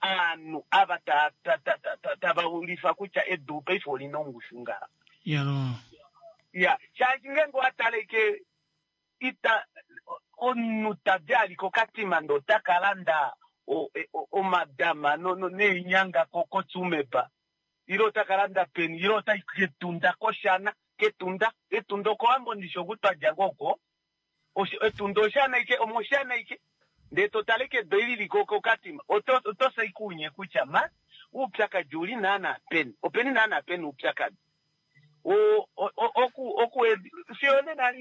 aanhu ava ta ta ta ta tava ulifa kutya edu paife olina ongushu ngaha Yalo. Ya, shaashi ngeenge owa tale ike ita omunhu tadi ali koKatima ndee ota ka landa omadama neenyanga koTsumeb ile ota ka landa peni ile otai kEtunda kOshana kEtunda Etunda okOwambo ndishi oku twa dja ngoo oko Etunda Oshana ike omOshana ike ndee to tale ike edu eli lili koKatima oto oto fya ike unye kutya ma oupyakadi ouli naana peni openi naana pena oupyakadi oku oku fiyo onena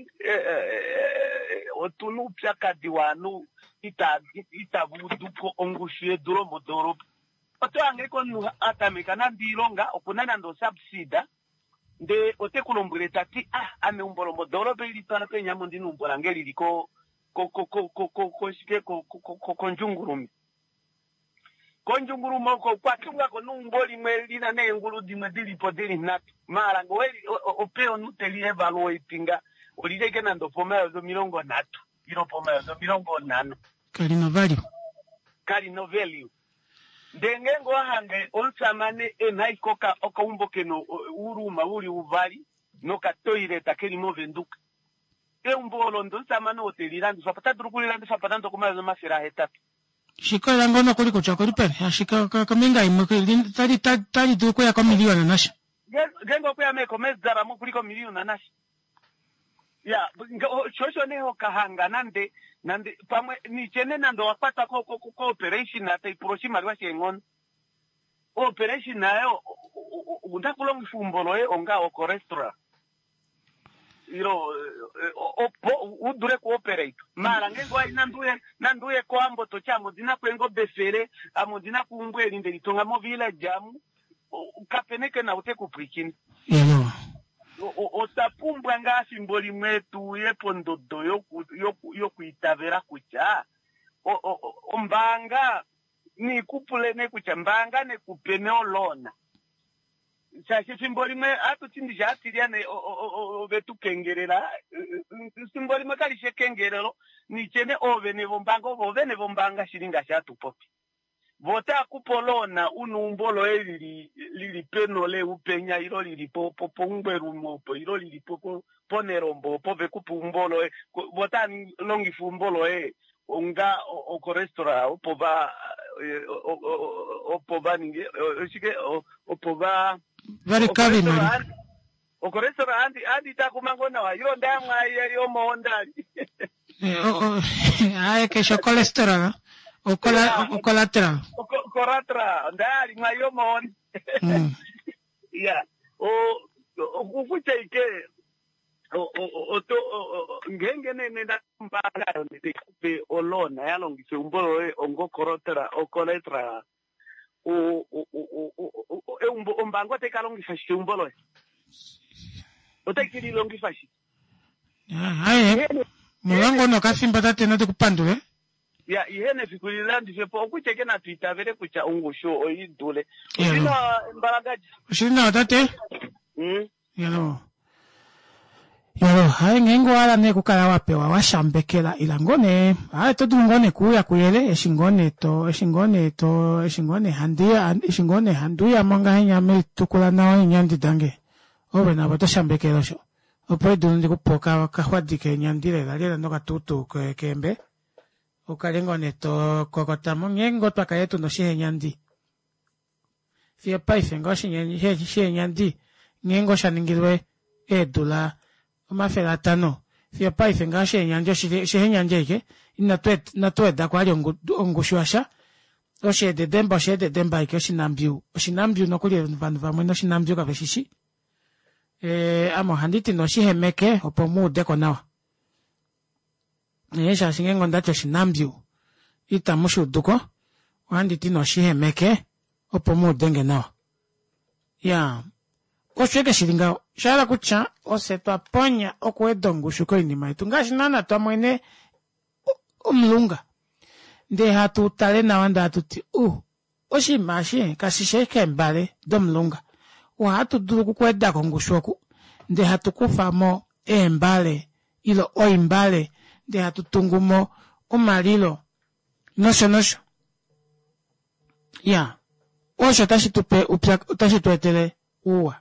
otuna oupyakadi wovanhu ita itava uduko ongushu yedu lomodoolopa oto hange ike omunhu a tameka nande oilonga okuna nande osubsida ndee ote ku lombwele tati ah ame eumbo lomodoolopa ili twala peni ame ondina eumbo lange lili ko ko ko ko ko koshike ko ko kondjungulume Kondjungulume oko okwa tunga ko neumbo limwe li na neengulu dimwe di li po di li nhatu. Maala nge oweli, ope omunhu te li evaluatinga, oli li ashike nande opomayovi omilongo nhatu ile opomayovi omilongo nhano. Kali na value. Kali na value. Ndee ngeenge owa hange omushamane e na ashike oka, okaumbo ke na uuruma u li uvali nokatoileta ke li mOvenduka, eumbo olo ndee omushamane oo te li landifa po, ota dulu oku li landifa po nande okomayovi omafele ahetatu. Shikolela ngoo nokuli kutya okuli peni, ashike kombinga imwe otali otali dulu okuya komiliyona nasha. Ngeenge okweya meekomesdala mo okuli komiliyona nasha. Ya, sho osho nee hokahanga nande nande pamwe nitye nee nande owa kwatwa ko ko ko operation tai pula oshimaliwa sheenghono. Operation ayo ouna kulongifa eumbo loye onga ocholesterol. Ilo opo u dule ku operate maala ngeenge owayi nande uye nande uye kOwambo toti ame ondina ko eengobe efele ame ondina ko eumbo eli ndeli tunga mo village amu kapena eke na ou te ku pwiikine. Otwa pumbwa ngaa efimbo limwe tu uye pondodo yoku yoku yoku itavela kutya ombaanga niikupule nee kutya mbaanga nekupe nee oloan Shaashi efimbo limwe ohatu ti ndishi aatilyane ove tu kengelela, efimbo limwe kali shi ekengelelo, nitye nee oovene vombaanga ovo oovene vombaanga shili ngaashi hatu popi. Vo otava ku pe oloona u na eumbo loye lili lili penole upenya ilo lili po po poungwelume opo ilo lili po po ponerombo opo ve ku pe eumbo loye. Vo otava longifa eumbo loye onga okorestaurant opo va opo va ninge oshike opo va Varikave imali. Okorestaurant handi handi takuma ngoo nawa ilo ndayamwa yomohonda. Aye keshe ocholesterol okola ocollateral. Collateral ondayalimwa yomohonda. Ya o okutya ike oto ngeenge nee nena ombaanga oyo tai ku pe oloan ya longifa eumbo loye onga ocollateral eumbo ombaanga otai ka longifa shike eumbo loye? Otai ke li longifa shike? Aye, molwa ngoo nokafimbo tate natu ku pandule. Ya, ihe nefiku li landife po okutya ike natu itavele kutya ongushu oi dule. Oshili nawa Mbalagaji? Oshili nawa tate. Mm. Yalo. Yalo, haye ngeenge owa hala nee okukala wa pewa wa shambekela ila ngoo nee haye oto dulu ngoo nee kuuya kuyele eshi ngoo nee to eshi ngoo nee to eshi ngoo nee handi eshi ngoo nee handi uya mo ngahenya metukula nawa eenyandi dange ove navo oto shambekele osho opo edulu ndi ku pe okaxwadi keenyandi lela lela nokatuutuu keembe ukale ngoo nee to kokota mo nghee ngoo twa kale tuna oshihenyandi fiyo paife ngoo oshihenyandi nghee ngoo sha ningilwe eedula omafele atano fiyo paife ngoo oshihenyandi oshihenyandi ashike inatu wedako vali ongushu yasha osheededemba osheededemba ashike oshinambiyu oshinambiyu nokuli ovanhu vamwe noshinambiyu kave shishi ame ohandi ti nee oshihemeke opo mu udeko nawa Ee, shaashi ngeenge onda ti oshinambyu itamu shi udu ko, ohandi ti noshihemeke opo mu ude nge nawa. Ya, Osho eke shili ngaho. Osha hala kutya ofye twa ponya okuweda ongushu koinima yetu ngaashi naana twa mwene omulunga ndee hatu tale nawa ndee hatu ti uh oshinima eshi kashishi ashike eembale domulunga ohatu dulu okukuwedako ongushu oku ndee hatu kufamo eembale ile oimbale ndee hatu tungumo omalilo nosho nosho iya osho otashi tupe upya otashi tu etele ouwa.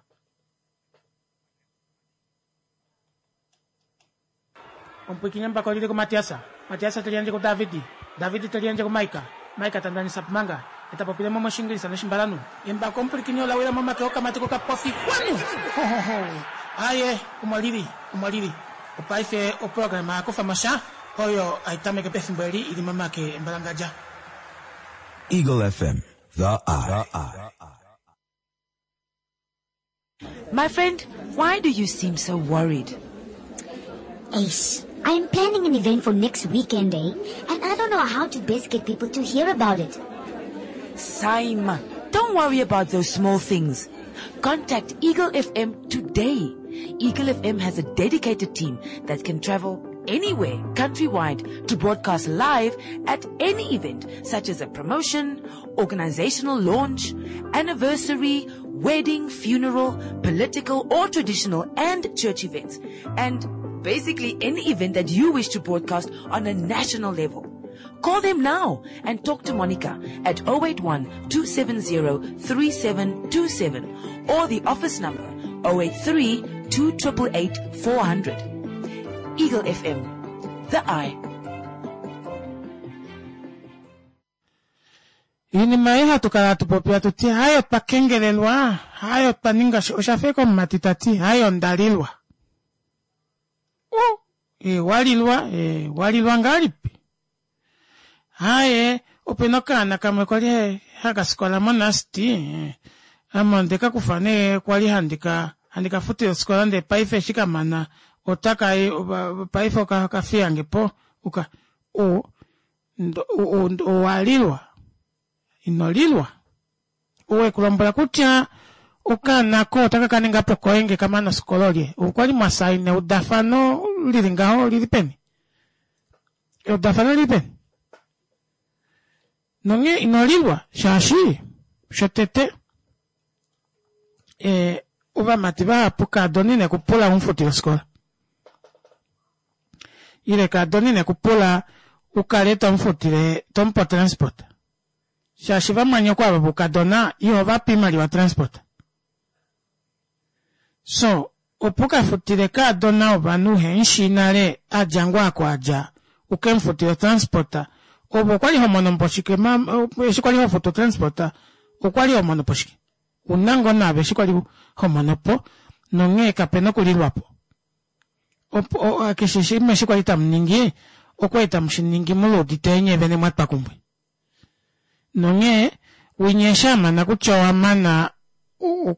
Omupwiikini embako lili kuMatias, Matias te liyandje kuDavid, David te liyandje kuMaika, Maika ta ndanisa Pumanga, e ta popile mo mOshiingilisa nOshimbalanhu. Embako omupwilikini ola wila momake okamati kokapofi kwanu! Ho ho ho! Aaye, omo lili, omo lili. Opaife oprograma ya kufa mo sha, oyo hai tameke pefimbo eli i li momake embalangadja. Eagle F M, The Eye. My friend, why do you seem so worried? Ace, I am planning an event for next weekend, eh? And I don't know how to best get people to hear about it. Saima, don't worry about those small things. Contact Eagle F M today. Eagle F M has a dedicated team that can travel anywhere countrywide to broadcast live at any event such as a promotion, organizational launch, anniversary, wedding, funeral, political or traditional and church events. And basically any event that you wish to broadcast on a national level. Call them now and talk to Monica at oh eight one two seven zero three seven two seven or the office number oh eight three two eight eight four hundred. Eagle F M, The Eye. Iinima ei hatu kala hatu popi hatu ti hayo twa kengelelwa, hayo twa ninga sho osha fa komumati ta ti hayo onda lilwa. U, e, walilwa, e, walilwa ngahelipi? Haye, opena okaana kamwe kwali haka sikola moNUST, e, ame onde ka kufa nee kwali handi ka handi ka futile ofikola ndee paife eshi ka mana otaka i paife okafiyange po uka u owalilwa ino lilwa ou ekulombwela kutya okaana ko otaka ka ninga po koye nge kamana ofikola olye okwali mwasaina eudafano lili ngaho lili peni eudafano lili peni nonghee ino lilwa shaashi shotete e, ovamati vahapu kaadona ine kupula umufutile ofikola ile kaadona ine kupula ukale tomufutile tomupe otransport shaashi vamwanyoko ava voukadona ihovape oimaliwa transport so opo ukafutile kaadona wovanhu uhemushii nale adja ngoo ako adja ukemufutile otransport ove okwali homono po shike eshi kwali hofutu otransport okwali homono po shike una ngoo naave eshi kwali homono po nonghee kapena okulilwapo opo keshe shimwe eshi kwali tamuningi okwali tamushiningi muluudite nye vene mwatwa kumwe nonghee winya eshi amana kutya owamana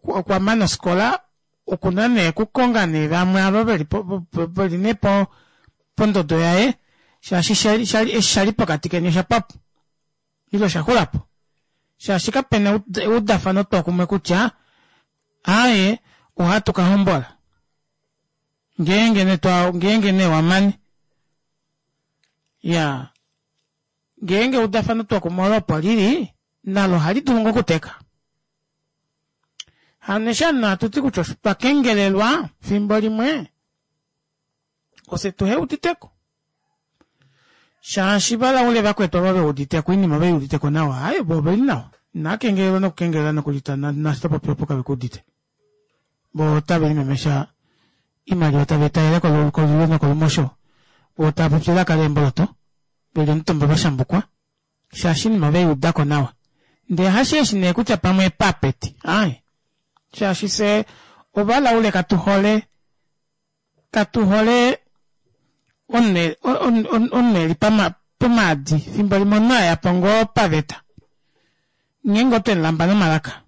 okwa mana ofikola okuna nee okukonga nee vamwe ava veli veli nee pondodo yaye shaashi eshi shali pokati keni oshapwapo ile oshaxulapo shaashi kapena eudafano twokumwe kutya aaye ohatu kahombola ngeenge nee twa ngeenge nee wamane iyaa ngeenge eudafano twokumwe olo opo lili nalo ohali dulu ngoo okuteka hano eshi ovanhu hatuti kutya otwa kengelelwa fimbo limwe ofye tuheuditeko shaashi valaule vakwetu ava veuditeko oinima veiuditeko nawa aaye vo oveli nawa inaakengelelwa nokukengelela nokulita naashi topopi opo kavekuudite vo otave limemesha oimaliwa tave italele kolulyo nokolumosho vo tava popi elaka leemboloto veli omutumba vashambukwa shaashi oinima oveiudako nawa ndee hasheeshi nee kutya pamwe epapeti aaye shaashi fye ovalaule katuhole katuhole omunhu eli pomaadi fimbo limwe omunhu ayapo ngoo paveta ngeenge otwemulamba nomalaka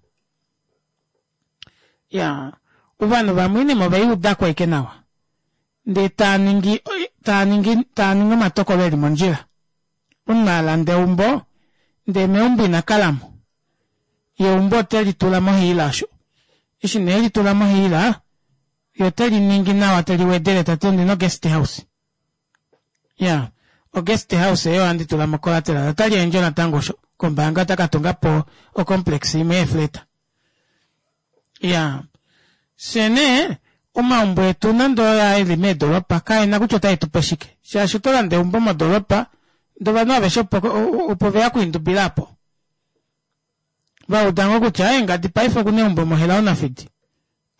iyaa ovanhu vamwe oinima oveiudako ashike nawa ndee taaningi taaningi taaningi omatokolo eli mondjila omunhu alanda eumbo ndee meumbo ina kalamo ye eumbo otelitula mohiila osho Eshi nee litula mohiila ye teli ningi nawa teli wedele tati ondina guest house. Ya, o guest house eyo ohandi tula mo collateral. Otali endjo natango osho kombaanga ota ka tunga po o complex imwe yeefleta. Ya, fye nee omaumbo etu nande oyaa eli meedoropa kaena kutya otae tupe shike shaashi oto landa eumbo modoropa ndee ovanhu aveshe opo opo veya okwiindubila aapo vauda ngoo kutya eengadi paife okuna eumbo moHelao Nafidi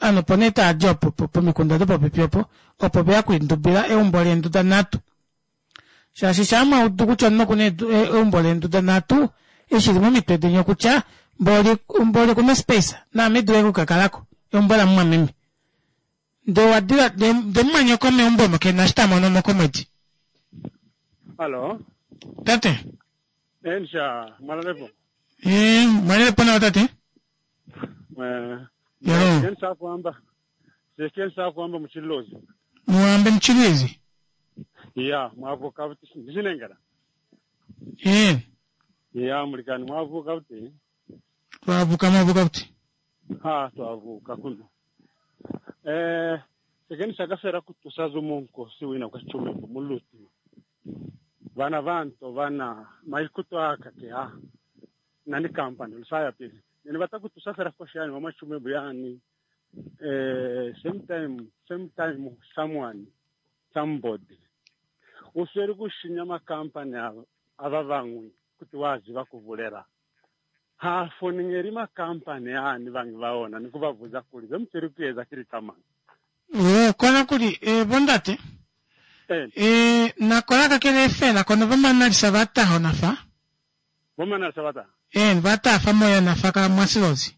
ovanhu opo nee taadi opo pomikunda dopopepi opo opo veya okwiindubila eumbo leenduda nhatu shaashi shaa mwaudu kutya omunhu okuna eumbo leenduda nhatu eshi li momitwe deni okutya mboli mboli okuna space naame dule okukakalako eumbo lamumwameme ndee owadila ndee mumwanyoko meumbo omo kena eshi tamono mo komwedi. Hallo. Tate. Ensha, mwalalepo. Eh, mwalalepo nawa tate. Eh. Yalo. Kensa kuamba. Kensa kuamba muchilozi. Muambe mchilizi. Ya, mwavuka kuti ndichinengera. Eh. Ya, mulikani mwavuka kuti. Twavuka mwavuka kuti. Ha, twavuka kuno. Eh, sekeni sakafera kutusaza omunkosi wina kwa chumembo muluti. Vana vanto vana maikuto aka ke ha. Nani company lusaya pili. Nini batakutusafera kwa shani mama chumembo yani. Eh, same time, same time someone, somebody. Usweri kushinya makampani ava vamwe kuti waziva kuvulera. Ha foningeri makampani ani vangi vaona nikuvabvunza kuri vemuchiri kuedza kiri kamani. Eh, kona kuli eh, bondate. Eh. Eh, nakola kakele efela kono vamanalisa vataho nafa. Vamanalisa vataha. Eh, vatafa moya nafa ka mwasilozi.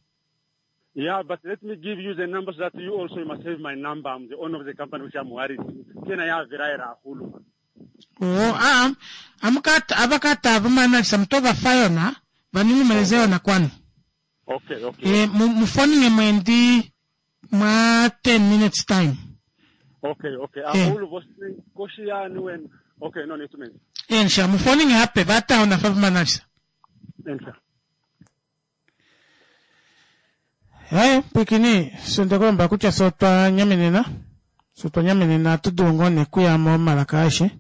Yeah, but let me give you the numbers that you also must have my number. I'm the owner of the company which I'm worried. Kena ya viraira hulu. Oh, ah, amukata abakata vamanalisa mutova fayona vanilimeleze yona kwanu. Okay, okay. Eh, mufonine mwendi mwa ten minutes time. Okay, okay. Eh. Ahulu vosi koshi yani when okay, no need to mention. Ensha mufoninge hape vataho nafa vamanalisa. Ensha. Hayi, pwikini, sondekulomba kutya fye otwa nyamenena. Fye otwa nyamenena ohatu dulu ngoo nee okuya momalaka aeshe.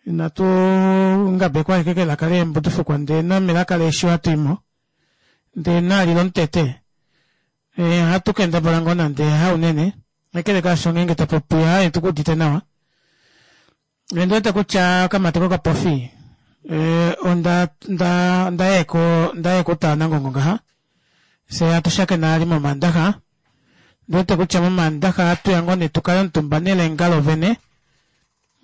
Inatu ngabekwa ashike kelaka leembudufukwa ndee nomelaka leeshi ohatu imo. Ndee naali lomutete. Eh, ohatu kendabala ngoo nande haunene. Kakele kaasho ngeenge topopi aaye tukuudite nawa. Ondi wete kutya okamati kokapofi eh, onda nda ndayeko ndayeko utaanangongo ngaha. Fye hatu shakena ali momandaxa. Ndiwete kutya momandaxa ohatu ya ngoo nee tukale omutumba nelenga lovene.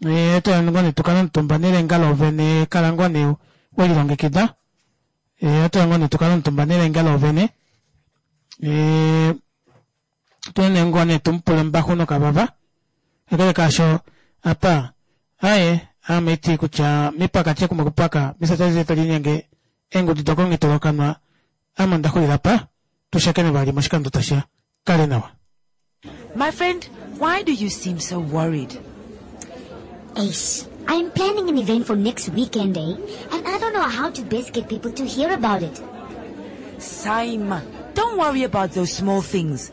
Eh, ohatu ya ngoo nee tukale omutumba nelenga lovene kala ngoo nee welilongekida. Eh, ohatu ya ngoo nee tukale omutumba nelenga lovene. Eh, tuye ngoo nee tumupule ombaxu nokavava. Kakele kaasho apa aye ame iti kutya mipaka kumwe kupaka misatali talinyenge eengudu dokongitolokanwa ame onda xulila pa tushakene vali moshikando tashiya kale nawa. My friend, why do you seem so worried? Ace, I'm planning an event for next weekend, eh? And I don't know how to best get people to hear about it. Saima, don't worry about those small things.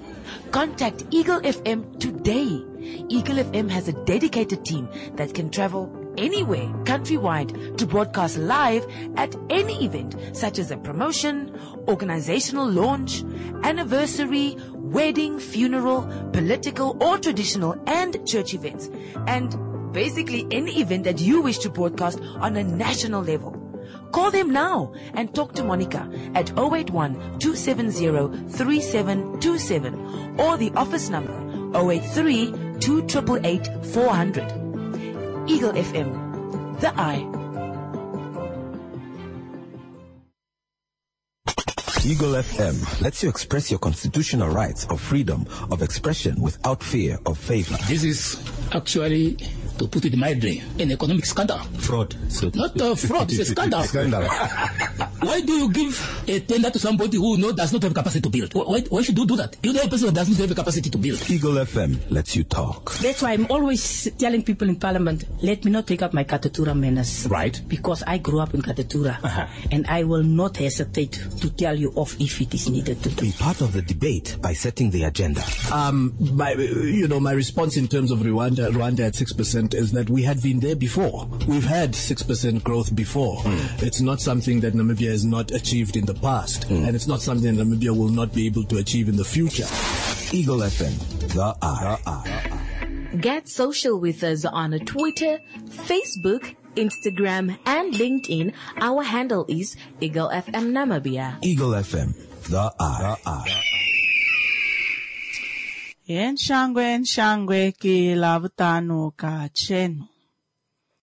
Contact Eagle F M today. Eagle F M has a dedicated team that can travel anywhere countrywide to broadcast live at any event, such as a promotion, organizational launch, anniversary, wedding, funeral, political or traditional and church events, and basically any event that you wish to broadcast on a national level. Call them now and talk to Monica at oh eight one, two seven zero, three seven two seven or the office number oh eight three, two triple eight, four hundred. Eagle F M, the eye. Eagle F M lets you express your constitutional rights of freedom of expression without fear of favor. This is actually, to put it mildly, an economic scandal. Fraud. So Not a fraud, it's a scandal. Scandal. Why do you give a tender to somebody who no, does not have capacity to build? Why, why should you do that? You know a person that doesn't have the capacity to build. Eagle F M lets you talk. That's why I'm always telling people in parliament, let me not take up my Katutura manners. Right. Because I grew up in Katutura. Uh-huh. And I will not hesitate to tell you off if it is needed to. Be part of the debate by setting the agenda. Um, my, you know, my response in terms of Rwanda, Rwanda at six percent is that we had been there before. We've had six percent growth before. It's not something that Namibia has not achieved in the past, and it's not something that Namibia will not be able to achieve in the future. Eagle F M, the eye. The eye. Get social with us on Twitter, Facebook, Instagram, and LinkedIn. Our handle is Eagle F M Namibia. Eagle F M, the eye. The eye. Enshangwe enshangwe ke Lavutano kachenu.